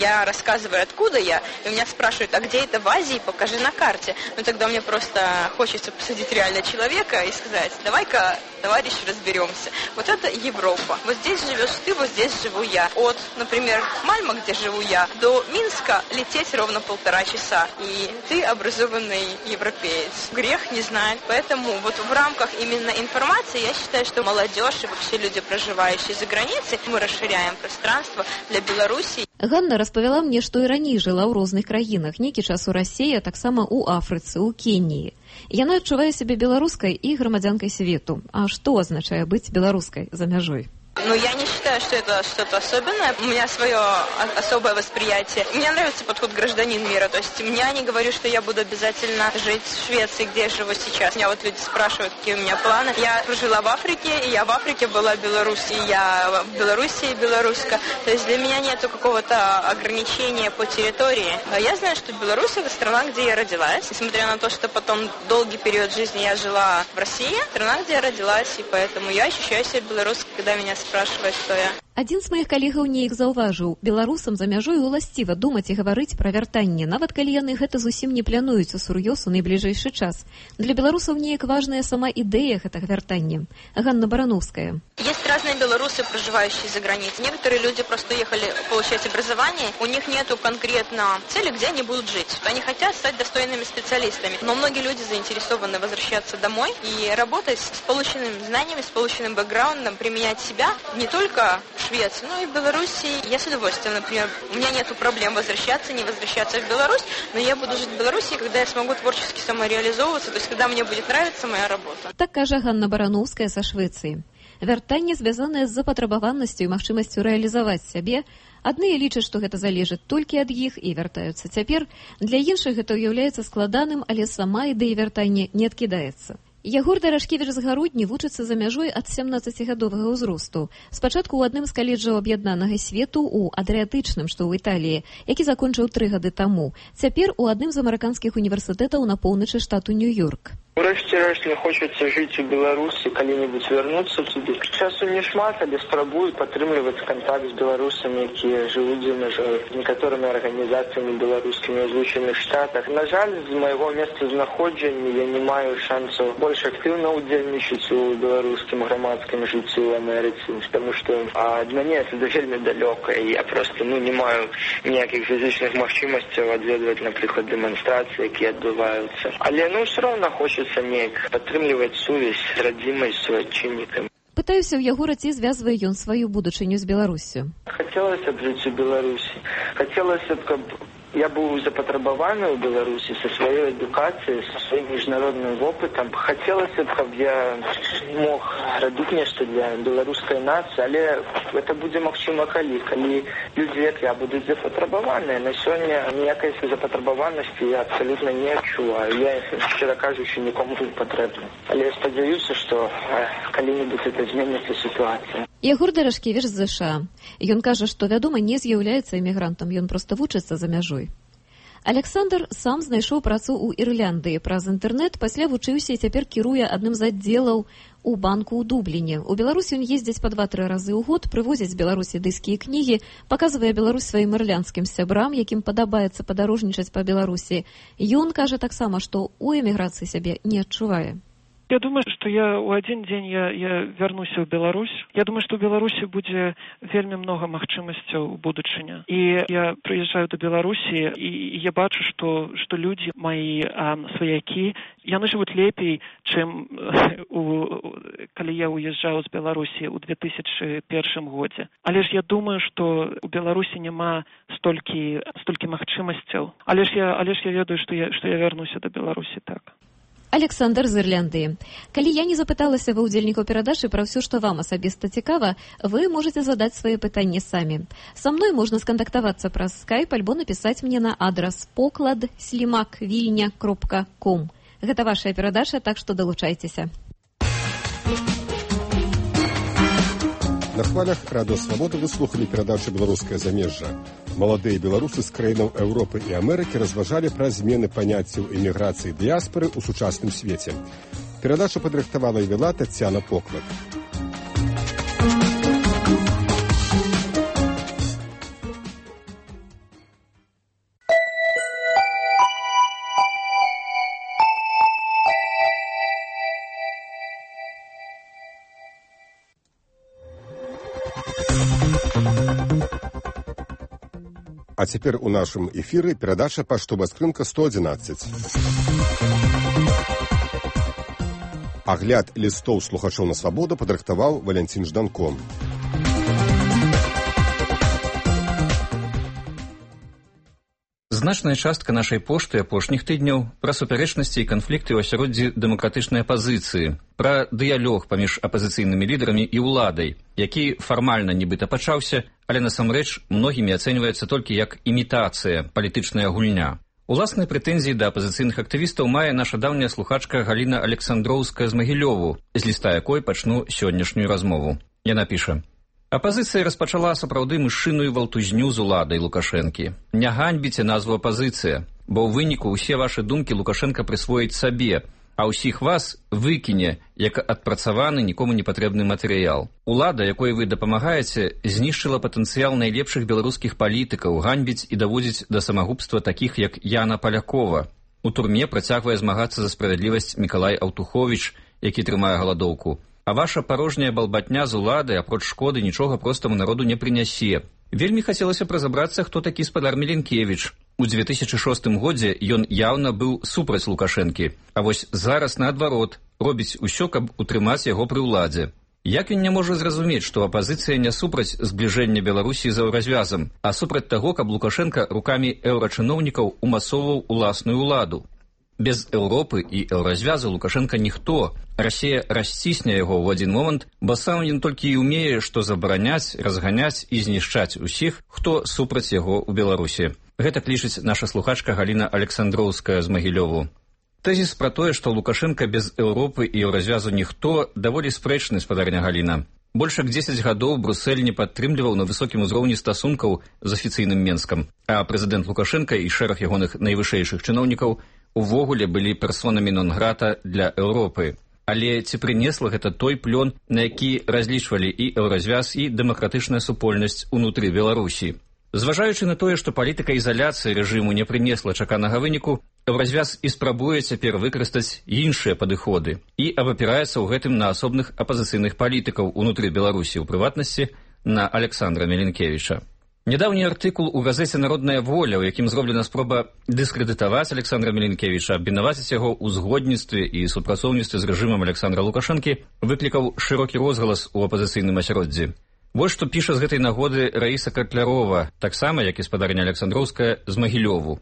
я рассказываю, откуда я, и меня спрашивают, а где это в Азии, покажи на карте. Ну тогда мне просто хочется посадить реально человека и сказать, давай-ка, товарищ, разберемся. Вот это Европа. Вот здесь живешь ты, вот здесь живу я. От, например, Мальма, где живу я, до Минска лететь ровно полтора часа. И ты образованный европеец. Грех не знать. Поэтому вот в рамках именно информации я считаю, что молодежь и вообще люди, проживающие за границей, мы расширяем пространство для Беларуси. Ганна распавяла мне, што і раней жыла ў розных краінах, нейкі час у Расіі, а таксама ў Афрыцы, ў Кеніі. Яна адчувае сябе беларускай і грамадзянкай свету. А што азначае быць беларускай за мяжой? Ну, я не считаю, что это что-то особенное. У меня свое особое восприятие. Мне нравится подход гражданин мира. То есть я не говорю, что я буду обязательно жить в Швеции, где я живу сейчас. Меня вот люди спрашивают, какие у меня планы. Я жила в Африке, и я в Африке была в Беларуси, и я в Беларуси белоруска. То есть для меня нету какого-то ограничения по территории. Я знаю, что Беларусь – это страна, где я родилась. Несмотря на то, что потом долгий период жизни я жила в России, страна, где я родилась, и поэтому я ощущаю себя белорусской, когда меня спрашивают, кто я. Адзін з маіх калегаў неяк заўважыў, беларусам за мяжой уласціва думаць і гаварыць пра вяртанне, нават калі яны гэта зусім не плануюць усур'ёз у найбліжэйшы час. Для беларусаў неяк важная сама ідэя гэтага вяртання. Ганна Барановская. Есть разные белорусы, проживающие за границей. Некоторые люди просто уехали получать образование, у них нету конкретно цели, где они будут жить. Они хотят стать достойными специалистами, но многие люди заинтересованы возвращаться домой и работать с полученными знаниями, с полученным бэкграундом, применять себя не только в Швеции, но и в Беларуси. Я с удовольствием, например, у меня нету проблем возвращаться, не возвращаться в Беларусь, но я буду жить в Беларуси, когда я смогу творчески самореализовываться, то есть когда мне будет нравиться моя работа. Так кажа Ганна Барановская са Швецыі. Вяртанне звязанае з запатрабаванасцю і магчымасцю рэалізаваць сябе. Адныя лічаць, што гэта залежыць толькі ад іх і вяртаюцца цяпер. Для іншых гэта ўяўляецца складаным, але сама ідэя вяртання не адкідаецца. Ягор Дарашкевіч з Гародні вучыцца за мяжой ад сямнаццацігадовага ўзросту. Спачатку ў адным з каледжаў аб'яднанага свету ў Адрыятычным, што ў Італіі, які закончыў тры гады таму. Цяпер у адным з амерыканскіх універсітэтаў на поўначы штату Нью-Йорк. Урэшце-рэшт мне хочацца жыць у Беларусі, калі-небудзь вярнуцца туды. Часу не шмат, але спрабую падтрымліваць кантакт з беларусамі, якія жывуць за мяжой, некаторымі арганізацыямі беларускімі ў Злучаных Штатах. На жаль, з майго месцазнаходжання я не маю шансаў больш актыўна ўдзельнічаць у беларускім грамадскім жыцці ў Амерыцы, таму што ад мяне это вельмі далёка, і я проста ну, не маю ніякіх фізічных магчымасцяў адведваць, напрыклад, дэманстрацыі, якія адбываюцца. Але ну ўсё роўна хочацца неяк падтрымліваць сувязь з радзімай суайчыннікамі. Пытаюся ў Ягора, ці звязвае ён сваю будучыню з Беларуссю. Хацелася б жыць у Беларусі. Хацелася б, каб я быў запатрабаваны ў Беларусі са сваёй адукацыяй, са сваім міжнародным вопытам. Хацелася б, каб я мог рабіць нешта для беларускай нацыі, але гэта будзе магчыма калі. Калі людзі, як я, будуць запатрабаваныя. На сёння ніякай запатрабаванасці я абсалютна не адчуваю. Я, шчыра кажучы, нікому не патрэбна. Але я спадзяюся, што калі-небудзь это зменіцца сітуацыя. Ягор Дарашкевіч з ЗША. Ён кажа, што, вядома, не з'яўляецца эмігрантам, ён проста вучыцца за мяжой. Александр сам знайшоў працу ў Ірландыі праз інтэрнэт, пасля вучыўся і цяпер кіруе адным з аддзелаў у банку ў Дубліне. У Беларусі ён ездзіць па два-тры разы ў год, прывозіць з Беларусі дыскі і кнігі, паказвае Беларусь сваім ірландскім сябрам, якім падабаецца падарожнічаць па Беларусі. Ён кажа таксама, што ў эміграцыі сябе не адчувае. Я думаю, что я у один день я, я вернуся в Беларусь. Я думаю, что в Беларусі будзе вельмі много магчымасцяў у будучыні. І я прыязджаю до Беларусі, і я бачу, что, что люди, мои а, сваякі, яны жывуць лепей, чым у, калі я уезжаў з Беларусі ў две тысячы першым годзе. Але ж я думаю, что у Беларусі няма столькі, столькі магчымасцяў. Але ж я, але ж я ведаю, что я, что я вернуся до Беларусі так. Александр з Ірландыі. Калі я не запыталася ва ўдзельнікаў перадачы пра ўсё, што вам асабіста цікава, вы можете задаць свае пытанні самі. Са мной можна скантактавацца праз скайп альбо напісаць мне на адрас поклад слімак вільня кропка ком. Гэта вашая перадача, так што далучайцеся. На хвалях Радыё Свабода вы слухалі перадачу «Беларускае замежжа». Маладыя беларусы з краінаў Еўропы і Амерыкі разважалі пра змены паняццяў эміграцыі і дыяспары ў сучасным свеце. Перадачу падрыхтавала і вела Таццяна Поклад. А цяпер у нашым эфіры перадача паштовая скрынка сто адзінаццаць. Агляд лістоў слухачоў на свабоду падрыхтаваў Валянцін Жданко. Значная частка нашай пошты апошніх тыдняў пра супярэчнасці і канфлікты ў асяроддзі дэмакратычнай апазіцыі, пра дыялог паміж апазіцыйнымі лідарамі і ўладай, які фармальна нібыта пачаўся, але насамрэч многімі ацэньваецца толькі як імітацыя, палітычная гульня. Уласныя прэтэнзіі да апазіцыйных актывістаў мае наша даўняя слухачка Галіна Александроўская з Магілёву, з ліста якой пачну сённяшнюю размову. Яна піша: «Апазіцыя распачала сапраўды мышыную валтузню з уладай Лукашэнкі. Не ганьбіце назву апазіцыя, бо ў выніку ўсе вашы думкі Лукашенка прысвоіць сабе, а ўсіх вас выкіне, як адпрацаваны нікому не патрэбны матэрыял. Улада, якой вы дапамагаеце, знішчыла патэнцыял найлепшых беларускіх палітыкаў, ганьбіць і даводзіць да самагубства такіх, як Яна Палякова. У турме працягвае змагацца за справядлівасць Мікалай Аўтуховіч, які трымае галадоўку. А ваша парожняя балбатня з улады, апроч шкоды, нічога простаму народу не прынясе. Вельмі хацелася б разабрацца, хто такі спадар Меленкевіч. У дзве тысячы шостым годзе ён яўна быў супраць Лукашэнкі, а вось зараз, наадварот, робіць усё, каб утрымаць яго пры ўладзе. Як ён не можа зразумець, што апазіцыя не супраць збліжэння Беларусі з еўразвязам, а супраць таго, каб Лукашенка рукамі еўрачыноўнікаў умасоўваў уласную ўладу? Без Еўропы і еўразвязу Лукашенка ніхто. Расія расцісне яго ў адзін момант, бо сам ён толькі і ўмее, што забараняць, разганяць і знішчаць усіх, хто супраць яго ў Беларусі. Гэта лічыць наша слухачка Галіна Александроўская з Магілёву. Тэзіс пра тое, што Лукашенка без Еўропы і еўразвязу ніхто, даволі спрэчны, спадарня Галіна. Больш як дзесяць гадоў Брусэль не падтрымліваў на высокім узроўні стасункаў з афіцыйным Менскам, а прэзідэнт Лукашенка і шэраг ягоных найвышэйшых чыноўнікаў увогуле былі персонамі нон-грата для Еўропы. Але ці прынесла гэта той плён, на які разлічвалі і еўразвяз, і дэмакратычная супольнасць унутры Беларусі? Зважаючы на тое, што палітыка ізаляцыі рэжыму не прынесла чаканага выніку, еўразвяз і спрабуе цяпер выкарыстаць іншыя падыходы і абапіраецца ў гэтым на асобных апазіцыйных палітыкаў унутры Беларусі, у прыватнасці на Александра Меленкевіча. Нядаўні артыкул у газеце «Народная воля», у якім зроблена спроба дыскрэдытаваць Александра Меленкевіча, абвінаваціць яго ў згодніцтве і супрацоўніцтве з рэжымам Александра Лукашэнкі, выклікаў шырокі розгалас у апазіцыйным асяроддзі. Вось што піша з гэтай нагоды Раіса Котлярова, таксама, як і спадарня Александроўская, з Магілёву.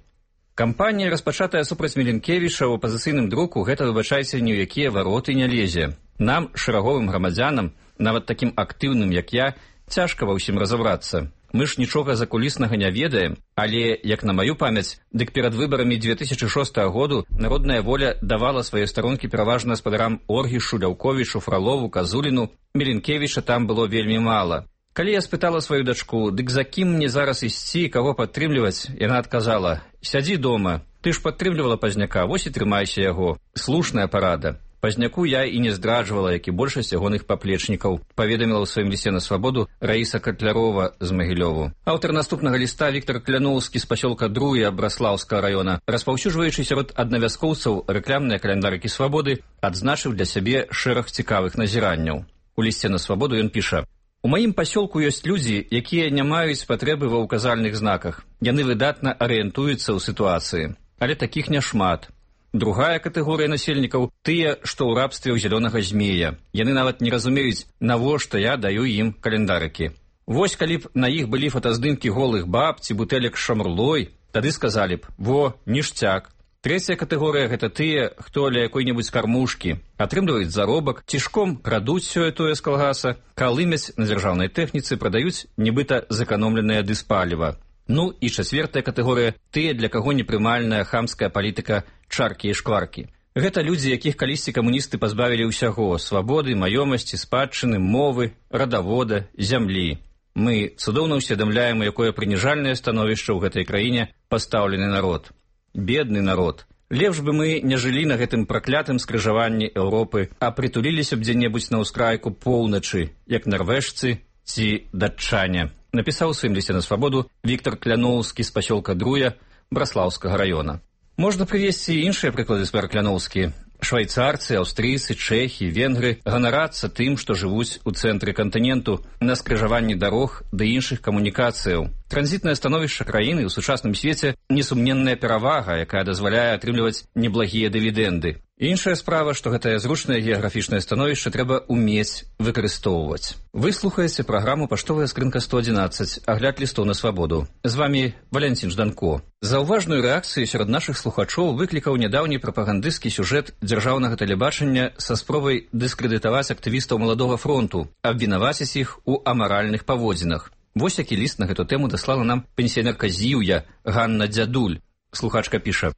Кампанія, распачатая супраць Меленкевіча ў апазіцыйным друку, гэта, выбачайце, ні ў якія вароты не лезе. Нам, шэраговым грамадзянам, нават такім актыўным, як я, цяжка ва ўсім разабрацца. Мы ж нічога закуліснага не ведаем, але, як на маю памяць, дык перад выбарамі дзве тысячы шостага году Народная воля давала свае старонкі пераважна спадарам Оргішу, Ляўковічу, Фралову, Казуліну. Меленкевіча там было вельмі мала. Калі я спытала сваю дачку, дык за кім мне зараз ісці, каго падтрымліваць, яна адказала: «Сядзі дома, ты ж падтрымлівала Пазняка, вось і трымайся яго». Слушная парада. Пазняку я і не здраджвала, як і большасць ягоных паплечнікаў, паведаміла ў сваім лісце на свабоду Раіса Котлярова з Магілёву. Аўтар наступнага ліста Віктор Кляноўскі з пасёлка Друя Браслаўскага раёна, распаўсюджваючы сярод аднавязкоўцаў рэкламныя каляндарыкі свабоды, адзначыў для сябе шэраг цікавых назіранняў. У лісце на свабоду ён піша: «У маім пасёлку ёсць людзі, якія не маюць патрэбы ва ўказальных знаках. Яны выдатна арыентуюцца ў сітуацыі. Але такіх няшмат. Другая катэгорыя насельнікаў – тыя, што ў рабстве ў зялёнага змея. Яны нават не разумеюць, навошта я даю ім календарыкі. Вось калі б на іх былі фотаздымкі голых баб ці бутэлек з шамрлой, тады сказалі б: во, ніштяк. Трэцяя катэгорыя – гэта тыя, хто ля якой-небудзь кармушкі, атрымліваюць заробак, цішком крадуць сёе-тое з калгаса, калымяць на дзяржаўнай тэхніцы, прадаюць нібыта зэканомленае дыспаліва. Ну і чацвертая катэгорыя – тыя, для каго непрымальная хамская палітыка чаркі і шкваркі. Гэта людзі, якіх калісьці камуністы пазбавілі ўсяго – свабоды, маёмасці, спадчыны, мовы, радавода, зямлі. Мы цудоўна ўсведамляем, у якое прыніжальнае становішча ў гэтай краіне пастаўлены народ. Бедны народ. Лепш бы мы не жылі на гэтым праклятым скрыжаванні Еўропы, а прытуліліся б дзе-небудзь на ўскрайку поўначы, як нарвежцы ці датчане. Напісаў у сваім лісце на свабоду Віктор Кляноўскі з пасёлка Друя Браслаўскага раёна. Можна прывесці іншыя прыклады, спадар Кляноўскі. Швайцарцы, аўстрыйцы, чэхі, венгры ганарацца тым, што жывуць у цэнтры кантыненту, на скрыжаванні дарог ды іншых камунікацыяў. Транзітнае становішча краіны ў сучасным свеце несумненная перавага, якая дазваляе атрымліваць неблагія дывідэнды. Іншая справа, што гэтае зручнае геаграфічнае становішча трэба умець выкарыстоўваць. Вы слухаеце праграму «Паштовая скрынка сто адзінаццаць», агляд лістоў на свабоду. З вамі Валянцін Жданко. Заўважную рэакцыю сярод нашых слухачоў выклікаў нядаўні прапагандысцкі сюжэт дзяржаўнага тэлебачання са спробай дыскрэдытаваць актывістаў маладога фронту, абвінаваціць іх у амаральных паводзінах. Вось які ліст на гэту тэму даслала нам пенсіянерка Зіўя Ганна Дзядуль. Слухачка піша: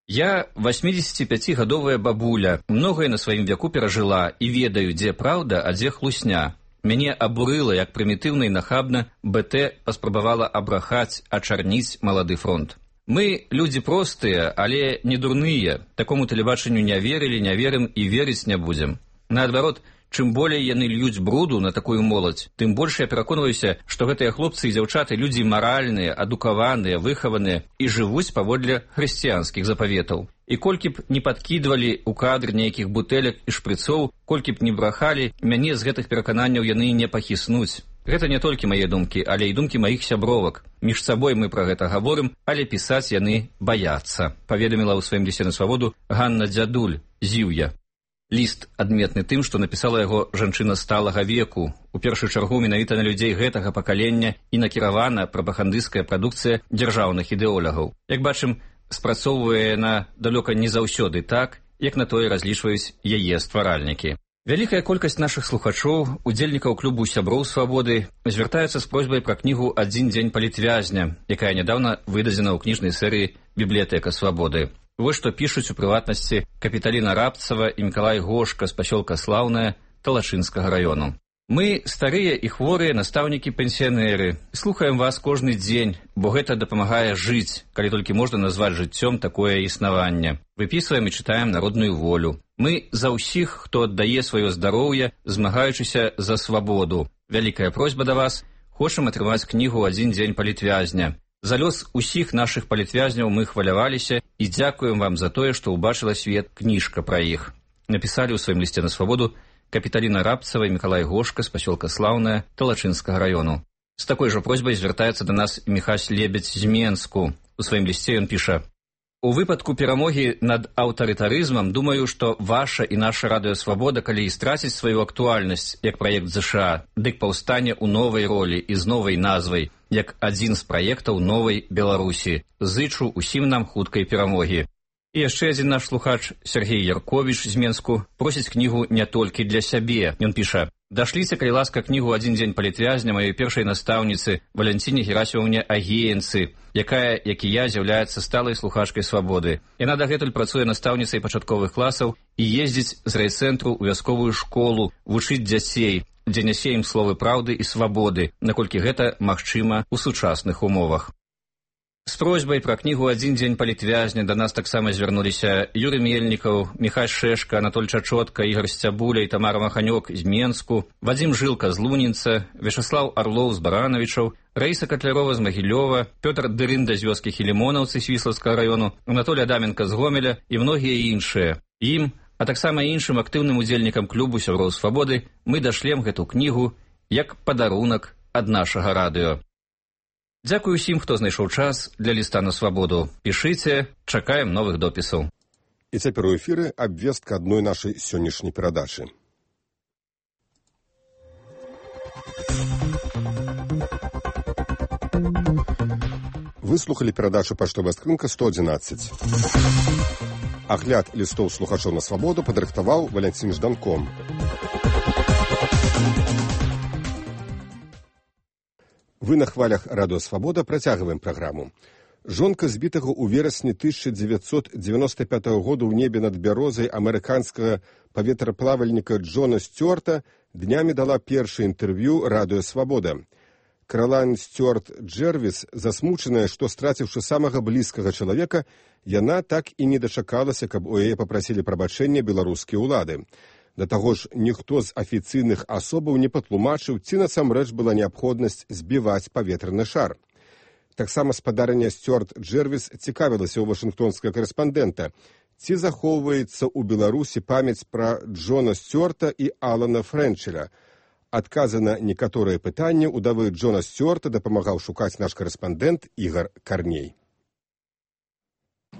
«Я восьмідзесяціпяцігадовая бабуля, многае на сваім вяку перажыла і ведаю, дзе праўда, а дзе хлусня. Мяне абурыла, як прымітыўна і нахабна БТ паспрабавала абрахаць, ачарніць малады фронт. Мы людзі простыя, але не дурныя. Такому тэлебачанню не верылі, не верым і верыць не будзем. Наадварот, чым болей яны льюць бруду на такую моладзь, тым больш я пераконваюся, што гэтыя хлопцы і дзяўчаты людзі маральныя, адукаваныя, выхаваныя і жывуць паводле хрысціянскіх запаветаў. І колькі б не падкідвалі ў кадр нейкіх бутэлек і шпрыцоў, колькі б не брахалі, мяне з гэтых перакананняў яны не пахіснуць. Гэта не толькі мае думкі, але і думкі маіх сябровак. Між сабой мы пра гэта гаворым, але пісаць яны баяцца», паведаміла ў сваім лісце на свабоду Ганна Дзядуль, Зіўя. Ліст адметны тым, што напісала яго жанчына сталага веку. У першую чаргу менавіта на людзей гэтага пакалення і накіравана прапагандысцкая прадукцыя дзяржаўных ідэолагаў. Як бачым, спрацоўвае яна далёка не заўсёды так, як на тое разлічваюць яе стваральнікі. Вялікая колькасць нашых слухачоў, удзельнікаў клубу сяброў свабоды, звяртаюцца з просьбай пра кнігу «Адзін дзень палітвязня», якая нядаўна выдадзена ў кніжнай серыі «Бібліятэка свабоды». Вось што пішуць у прыватнасці Капіталіна Рабцава і Мікалай Гошка з пасёлка Слаўнае Талачынскага раёну. «Мы старыя і хворыя настаўнікі-пенсіянеры. Слухаем вас кожны дзень, бо гэта дапамагае жыць, калі толькі можна назваць жыццём такое існаванне. Выпісваем і чытаем народную волю. Мы за ўсіх, хто аддае сваё здароўе, змагаючыся за свабоду. Вялікая просьба да вас. Хочам атрымаць кнігу «Адзін дзень палітвязня». За лёс усіх нашых палітвязняў мы хваляваліся і дзякуем вам за тое, што ўбачыла свет кніжка пра іх», напісалі ў сваім лісце на свабоду Капіталіна Рабцава і Мікалай Гошка з пасёлка Слаўнае Талачынскага раёну. З такой жа просьбай звяртаецца да нас Міхась Лебедзь з Менску. У сваім лісце ён піша: «У выпадку перамогі над аўтарытарызмам думаю, што ваша і наша радыёсвабода, калі і страціць сваю актуальнасць як праект ЗША, дык паўстане ў новай ролі і з новай назвай, як адзін з праектаў новай Беларусі. Зычу усім нам хуткай перамогі». І яшчэ адзін наш слухач, Сергей Ярковіч з Менску, просіць кнігу не толькі для сябе. Ён піша: «Дашліце, калі ласка, кнігу «Адзін дзень палітвязня» маёй першай настаўніцы Валянціне Герасімаўне Агеенцы, якая, як і я, з'яўляецца сталай слухачкай свабоды. Яна дагэтуль працуе настаўніцай пачатковых класаў і ездзіць з райцэнтру ў вясковую школу вучыць дзяцей, дзе нясе ім словы праўды і свабоды, наколькі гэта магчыма ў сучасных умовах». З просьбай пра кнігу «Адзін дзень палітвязня» да нас таксама звярнуліся Юрый Мельнікаў, Міхай Шэшка, Анатоль Чачотка, Ігор Сцябуля і Тамара Маханёк з Менску, Вадзім Жылка з Лунінца, Вячаслаў Арлоў з Баранавічаў, Раіса Катлярова з Магілёва, Пётр Дырында з вёскі Хілімонаўцы Свіслацкага раёну, Анатолій Адаменка з Гомеля і многія іншыя. Ім, а таксама іншым актыўным удзельнікам клубу сяброў свабоды мы дашлем гэту кнігу як падарунак ад нашага радыё. Дзякую усім, хто знайшоў час для ліста на свабоду. Пішыце, чакаем новых допісаў. І цяпер у эфіры абвестка адной нашай сённяшняй перадачы. Вы слухалі перадачу «Паштовая скрынка сто адзінаццаць». Агляд лістоў слухачоў на свабоду падрыхтаваў Валянцін Жданко. Вы на хвалях радыё «Свабода» працягваем праграму. Жонка збітага ў верасні тысяча дзевяцьсот дзевяноста пятага года ў небе над бярозай амерыканскага паветраплавальніка Джона Сцюарта днямі дала першае інтэрв'ю радыё «Свабода». Каралайн Стюарт Джервіс, засмучаная, што страціўшы самага блізкага чалавека, яна так і не дачакалася, каб у яе папрасілі прабачэння беларускія ўлады. Да таго ж, ніхто з афіцыйных асобаў не патлумачыў, ці насамрэч была неабходнасць збіваць паветраны шар. Таксама спадарня Стюарт Джервіс цікавілася ў вашынгтонскага карэспандэнта, ці захоўваецца ў Беларусі памяць пра Джона Стюарта і Алана Фрэнчеля. Адказы на некаторыя пытанні ўдавы Джона Сцюарта дапамагаў шукаць наш карэспандэнт Ігар Карней.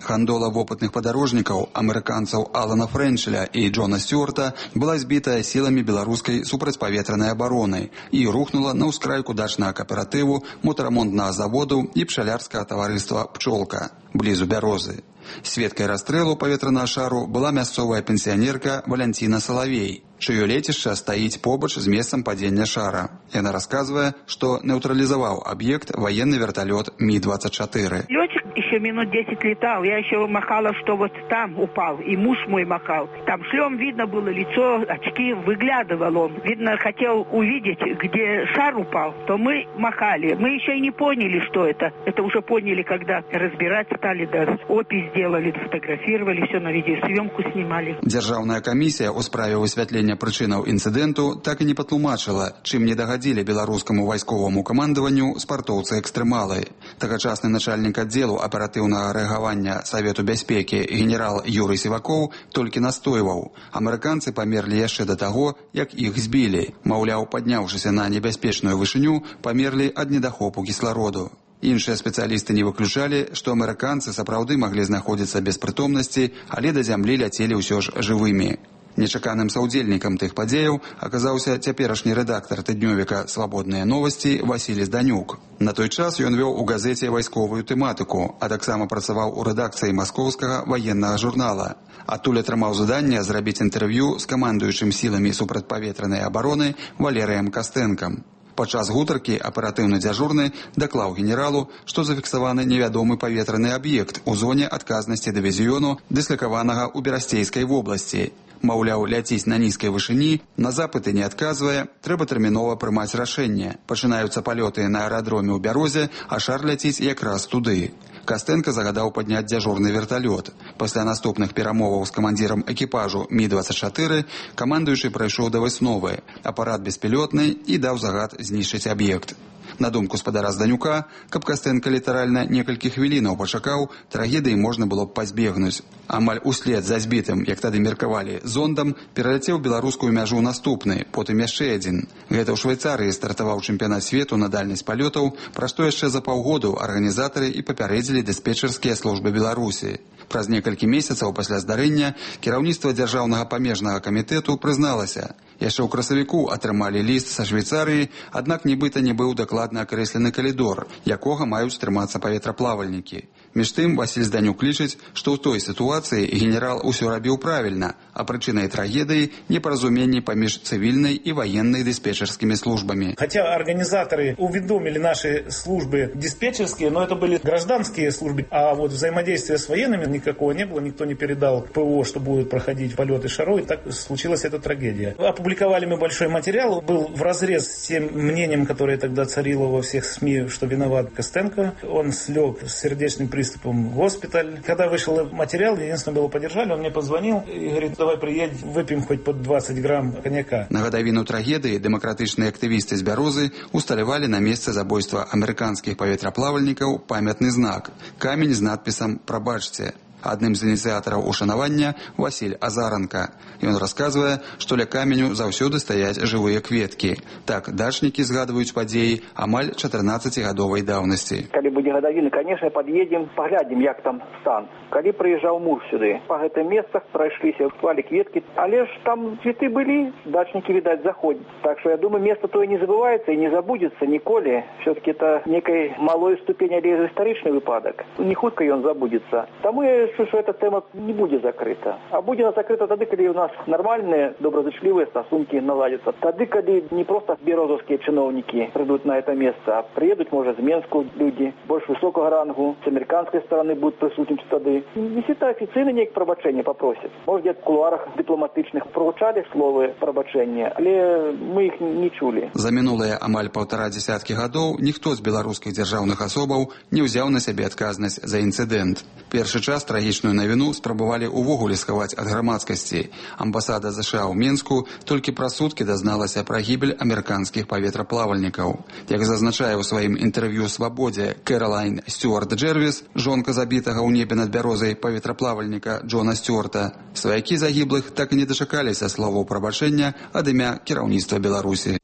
Гандола вопытных падарожнікаў, амерыканцаў Алана Фрэнчеля і Джона Сцюарта была збітая сіламі беларускай супрацьпаветранай абароны і рухнула на ўскрайку дачнага кааператыву, мотарамонтнага заводу і пчалярскага таварыства «Пчолка» блізу Бярозы. Сведкай расстрэлу паветранага шару была мясцовая пенсіянерка Валянціна Салавей, чыё лецішча стаіць побач з месцам падзення шара. Яна расказвае, што нейтралізаваў аб'ект военный вертолет Ми двадцать четыре. Летчик еще минут десять летал, я еще махала, что вот там упал, и муж мой махал. Там шлем видно было лицо, очки, выглядывал он. Видно, хотел увидеть, где шар упал, то мы махали. Мы еще и не поняли, что это. Это уже поняли, когда разбирать стали, да, опись сделали, фотографировали, все на видеосъемку снимали. Дзяржаўная камісія ў справе высвятлення прычынаў інцыдэнту так і не патлумачыла, чым не дагадзілі беларускаму вайсковаму камандаванню спартоўцы-экстрэмалы. Тагачасны начальнік аддзелу аператыўнага рэагавання Савету бяспекі генерал Юрый Сівакоў толькі настойваў. Амерыканцы памерлі яшчэ да таго, як іх збілі. Маўляў, падняўшыся на небяспечную вышыню, памерлі ад недахопу кіслароду. Іншыя спецыялісты не выключалі, што амерыканцы сапраўды маглі знаходзіцца без прытомнасці, але да зямлі ляцелі ўсё ж жывымі. Нечаканым саўдзельнікам тых падзеяў аказаўся цяперашні рэдактар тыднёвіка «Свабодныя новасці» Васіль Зданюк. На той час ён вёў у газеце вайсковую тэматыку, а таксама працаваў у рэдакцыі маскоўскага ваеннага журнала. Адтуль атрымаў заданне зрабіць інтэрв'ю з камандуючым сіламі супрацьпаветранай абароны Валерыем Кастэнкам. Падчас гутаркі аператыўны дзяжурны даклаў генералу, што зафіксаваны невядомы паветраны аб'ект у зоне адказнасці дывізіёну, дыслакаванага ў Берасцейскай вобласці. Маўляў, ляціць на нізкай вышыні, на запыты не адказвае, трэба тэрмінова прымаць рашэнне. Пачынаюцца палёты на аэрадроме ў Бярозе, а шар ляціць якраз туды. Кастэнка загадаў падняць дзяжурны верталёт. Пасля наступных перамоваў з камандзірам экіпажу Ми двадцать четыре камандуючы прайшоў да высновы. Апарат беспілётны і даў загад знішчыць аб'ект. На думку спадара Зданюка, каб Кастэнка літаральна некалькі хвілінаў пачакаў, трагедыі можна было б пазбегнуць. Амаль услед за збітым, як тады меркавалі, зондам пераляцеў беларускую мяжу наступны, потым яшчэ адзін. Гэта ў Швейцарыі стартаваў чэмпіянат свету на дальнасць палётаў, пра што яшчэ за паўгоду арганізатары і папярэдзілі дыспетчарскія службы Беларусі. Праз некалькі месяцаў пасля здарэння кіраўніцтва дзяржаўнага памежнага камітэту прызналася. Яшчэ ў красавіку атрымалі ліст са Швейцарыі, аднак нібыта не быў дакладна акрэслены калідор, якога маюць трымацца паветраплавальнікі. Між тым, Васіль Зданюк лічыць, што ў той сітуацыі генерал усё рабіў правільна, а прычынай трагедыі непаразуменні паміж цывільнай і военной диспетчерскими службами. Хотя организаторы уведомили наши службы диспетчерские, но это были гражданские службы, а вот взаимодействия с военными никакого не было, никто не передал ПО, что будут проходить полеты шаров, и так случилась эта трагедия. Опубликовали мы большой материал, был вразрез с тем мнением, которое тогда царило во всех СМИ, что виноват Костенко. Он слег с сердечным приступом в госпиталь. Когда вышел материал, единственное, было поддержали, он мне позвонил и говорит, давай приедь, выпьем хоть под двадцать грамм коньяка. На гадавіну трагедыі дэмакратычныя актывісты з Бярозы усталявалі на месцы забойства амерыканскіх паветраплавальнікаў памятны знак, камень з надпісам «Прабачце». Адным з ініцыятараў ушанавання Васіль Азаранка. Ён расказвае, што ля каменю заўсёды стаяць жывыя кветкі. Так дачнікі згадваюць падзеі амаль чатырнаццацігадовай даўнасці. Калі будзе гадавіна, конечно, пад'едзем, паглядзім, як там стан. Калі прыязджаў муж сюды, па гэтым месцах прайшліся, клалі кветкі, але ж там цветы былі, дачнікі, відаць, заходзяць. Так што я думаю, место тое не забываецца і не забудзецца ніколі. Все-таки это некай малой ступень, але гістарычны выпадак. Не хутка ён забудзецца. Таму я что эта тема не будет закрыта. А будет закрыта тогда, когда у нас нормальные, доброзычливые стосунки наладятся. Тогда, когда не просто березовские чиновники придут на это место, а приедут, может, из Минска люди, больше высокого рангу, с американской стороны будут присутствовать тогда. Если это официально некое пробачение попросят. Может, где-то в кулуарах дипломатичных прозвучали словы пробачения, але мы их не чули. За минулые амаль полтора десятки годов никто из белорусских державных особов не взял на себе отказность за инцидент. Первый час трагічную навіну спрабавалі ўвогуле схаваць ад грамадскасці. Амбасада ЗША ў Мінску толькі праз суткі дазналася пра гібель амерыканскіх паветраплавальнікаў. Як зазначае ў сваім інтэрв'ю «Свабодзе» Кэролайн Стюарт Джервіс, жонка забітага ў небе над Бярозай паветраплавальніка Джона Стюарта, сваякі загіблых так і не дачакаліся словаў прабачэння ад імя кіраўніцтва Беларусі.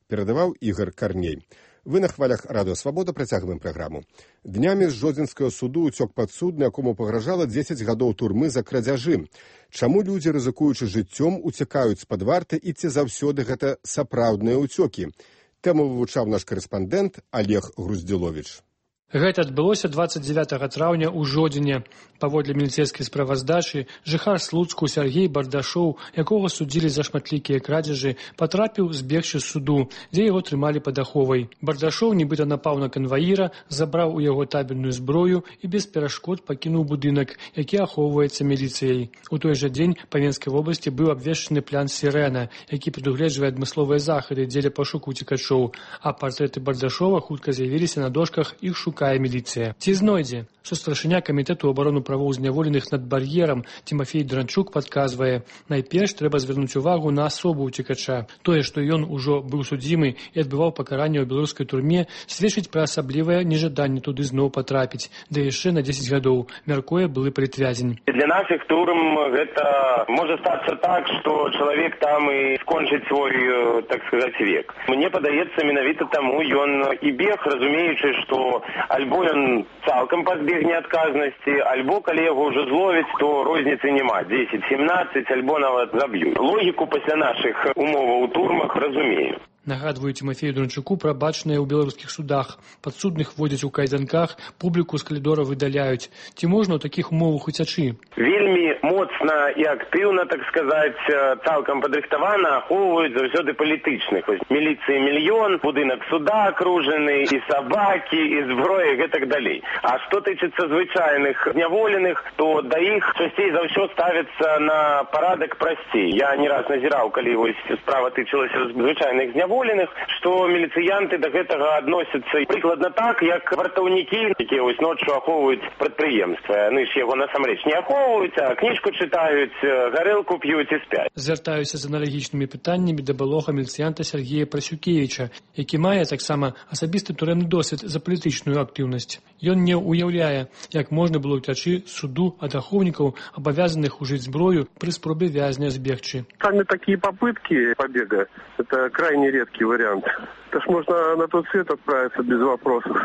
Перадаваў Ігор Карней. Вы на хвалях Радыё Свабода, працягваем праграму. Днямі з Жодзінскага суду ўцёк падсудны, якому пагражала дзесяць гадоў турмы за крадзяжы. Чаму людзі, рызыкуючы жыццём, уцякаюць з-пад варты і ці заўсёды гэта сапраўдныя ўцёкі? Тэму вывучаў наш карэспандэнт Олег Груздзіловіч. Гэта адбылося дваццаць дзевятага траўня ў Жодзіне. Паводле міліцэйскай справаздачы, жыхар Слуцку Сергей Бардашоў, якога судзілі за шматлікія крадзяжы, патрапіў збегчы з суду, дзе яго трымалі пад аховай. Бардашоў нібыта напаў на канваіра, забраў у яго табельную зброю і без перашкод пакінуў будынак, які ахоўваецца міліцыяй. У той жа дзень па Венскай вобласці быў абвешчаны план «Сірена», які прадугледжвае адмысловыя захады дзеля пошуку уцекачоў, а партрэты Бардашова хутка з'явіліся на дошках, іх шукае міліцыя. Ці знойдзе? Сустаршыня камітэту абароны правоў зняволеных над бар'ерам Тимофей Дранчук падказвае, найперш трэба звярнуць увагу на асобу ўцекача. Тое, што ён ужо быў судзімы і адбываў пакаранне ў беларускай турме, сведчыць пра асаблівае нежаданне туды зноў патрапіць, да яшчэ на дзесяць гадоў, мяркуе былы палітвязень. Для нашых турм гэта можа стацца так, што чалавек там і скончыць свой, так сказаць, век. Мне падаецца, менавіта таму ён і бег, разумеючы, што альбо ён цалкам пазбегне адказнасці, альбо калі яго ўжо зловяць, то розніцы няма, дзесяць-семнаццаць, альбо нават заб'юць. Логіку пасля нашых умоваў у турмах разумею. Нагадваю Тимофею Дранчуку пра бачнае ў беларускіх судах. Падсудных водзяць у кайданках, публіку з калідора выдаляюць. Ці можна ў такіх умовах уцячы? Вельмі моцна і актыўна, так сказаць, цалкам падрыхтавана ахоўваюць заўсёды палітычных. Міліцыі мільён, будынак суда акружаны, і сабакі, і зброя, і так далей. А што тычыцца звычайных зняволеных, то да іх часцей за ўсё ставіцца на парадак прасцей. Я не раз назіраў, калі вось справа тычылася звычайных зняволеных, што міліцыянты да гэтага адносяцца прыкладна так, як вартаўнікі, якія вось ноччу ахоўваюць прадпрыемства. Яны ж яго насамрэч не ахоўваюць, а кніжку чытаюць, гарэлку п'юць і спяць. Звяртаюся з аналагічнымі пытаннямі да былога міліцыянта Сергея Прасюкевіча, які мае таксама асабісты турэмны досвед за палітычную актыўнасць. Ён не уяўляе, як можна было ўцячы суду ад ахоўнікаў, абавязаных ужыць зброю пры спробе вязня збегчы. Сами такие попытки побега – это крайне редкий вариант. Это ж можно на тот свет отправиться без вопросов.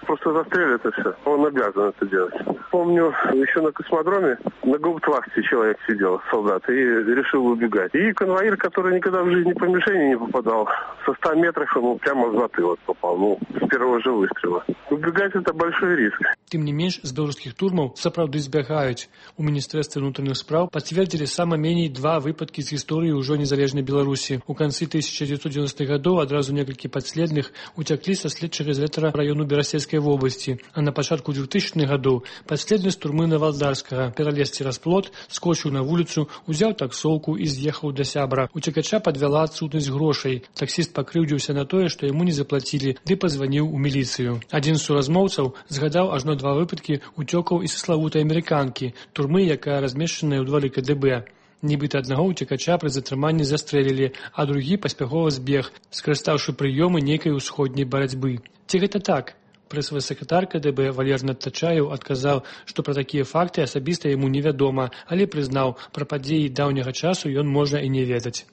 Просто застрелят и все. Он обязан это делать. Помню, еще на космодроме на гауптвахте человек сидел, солдат, и решил убегать. И конвоир, который никогда в жизни по мишени не попадал, со ста метров ему прямо в затылок попал, ну, с первого же выстрела. Убегать – это большой риск. Тым не менш, з беларускіх турмаў сапраўды збягаюць. У міністэрстве ўнутраных спраў пацвердзілі сама меней два выпадкі з гісторыі ўжо незалежнай Беларусі. У канцы тысяча дзевяцьсот дзевяностых гадоў адразу некалькі падследных уцяклі са следчага изолятора раёну Берасельскай вобласці, а на пачатку двухтысячных гадоў падследны з турмы Навалдарскага пералез цераз плот, скочыў на вуліцу, узяў таксоўку і з'ехаў да сябра. Уцекача падвяла адсутнасць грошай. Таксіст пакрыўдзіўся на тое, што яму не заплацілі, ды пазваніў у міліцыю. Адзін з суразмоўцаў згадаў ажно два выпадкі уцёкаў і са славутай амерыканкі, турмы, якая размешчаная ў дворы ка дэ бэ. Нібыта аднаго уцекача пры затрыманні застрэлілі, а другі паспяхова збег, скарыстаўшы прыёмы нейкай усходняй барацьбы. Ці гэта так? Прэс-сакратар ка дэ бэ Валерій Тачаеў адказаў, што пра такія факты асабіста яму невядома, але прызнаў, пра падзеі даўняга часу ён можа і не ведаць.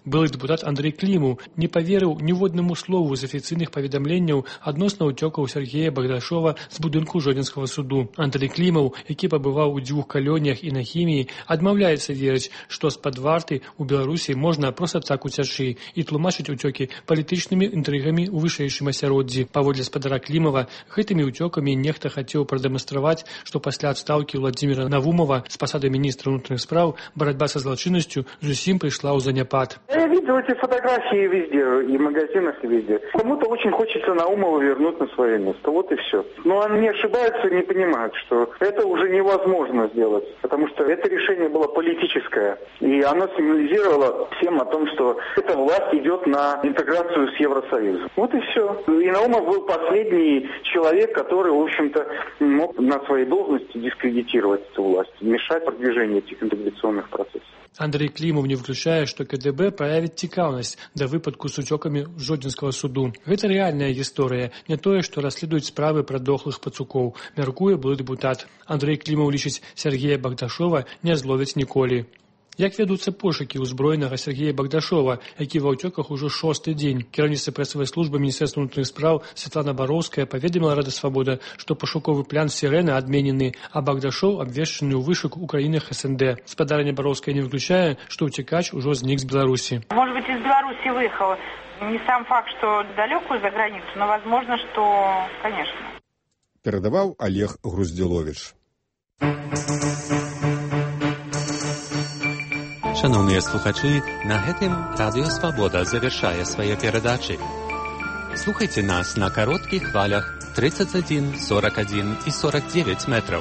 Былы дэпутат Андрэй Клімаў не паверыў ніводнаму слову з афіцыйных паведамленняў адносна ўцёкаў Сергея Багдашова з будынку Жодзінскага суду. Андрэй Клімаў, які пабываў у дзвюх калоніях і на хіміі, адмаўляецца верыць, што з-пад варты ў Беларусі можна проста так уцячы і тлумачыць уцёкі палітычнымі інтрыгамі ў вышэйшым асяроддзі. Паводле спадара Клімава, гэтымі ўцёкамі нехта хацеў прадэманстраваць, што пасля адстаўкі Владзіміра Навумова з пасады міністра ўнутраных спраў барацьба са злачыннасцю зусім прыйшла ў заняпад. Я видел эти фотографии везде, и в магазинах, и везде. Кому-то очень хочется Наумова вернуть на свое место, вот и все. Но они ошибаются и не понимают, что это уже невозможно сделать, потому что это решение было политическое, и оно сигнализировало всем о том, что эта власть идет на интеграцию с Евросоюзом. Вот и все. И Наумов был последний человек, который, в общем-то, мог на своей должности дискредитировать эту власть, мешать продвижению этих интеграционных процессов. Андрэй Клімаў не выключае, што ка дэ бэ праявіць цікаўнасць да выпадку з уцёкамі Жодзінскага суду. Гэта рэальная гісторыя, не тое, што расследуюць справы пра дохлых пацукоў, мяркуе былы дэпутат. Андрэй Клімаў лічыць, Сергея Багдашова не зловяць ніколі. Як вядуцца пошукі ўзброенага Сергея Багдашова, які ва ўцёках ужо шосты дзень. Кіраўніцтва прэсавай службы Міністэрства ўнутраных спраў Святлана Бароўская паведаміла Рада Свабода, што пашуковы план «Сірена» адменены, а Багдашов абвешчаны ў вышук у краінах СНД. Спадарня Бароўская не выключае, што ўцекач ужо знік з Беларусі. Может быть, из Беларуси выехал. Не сам факт, что далекую за границу, но возможно, что, конечно. Перадаваў Олег Груздзіловіч. Шановныя слухачы, на гэтым Радыё Свабода завяршае свае перадачы. Слухайце нас на кароткіх хвалях тридцать один, сорок один и сорок девять метраў.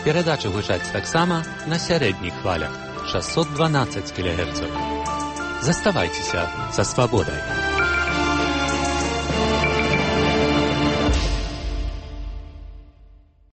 Перадачы гучаць таксама на сярэдніх хвалях шестьсот двенадцать кілогерцаў. Заставайцеся са свабодай.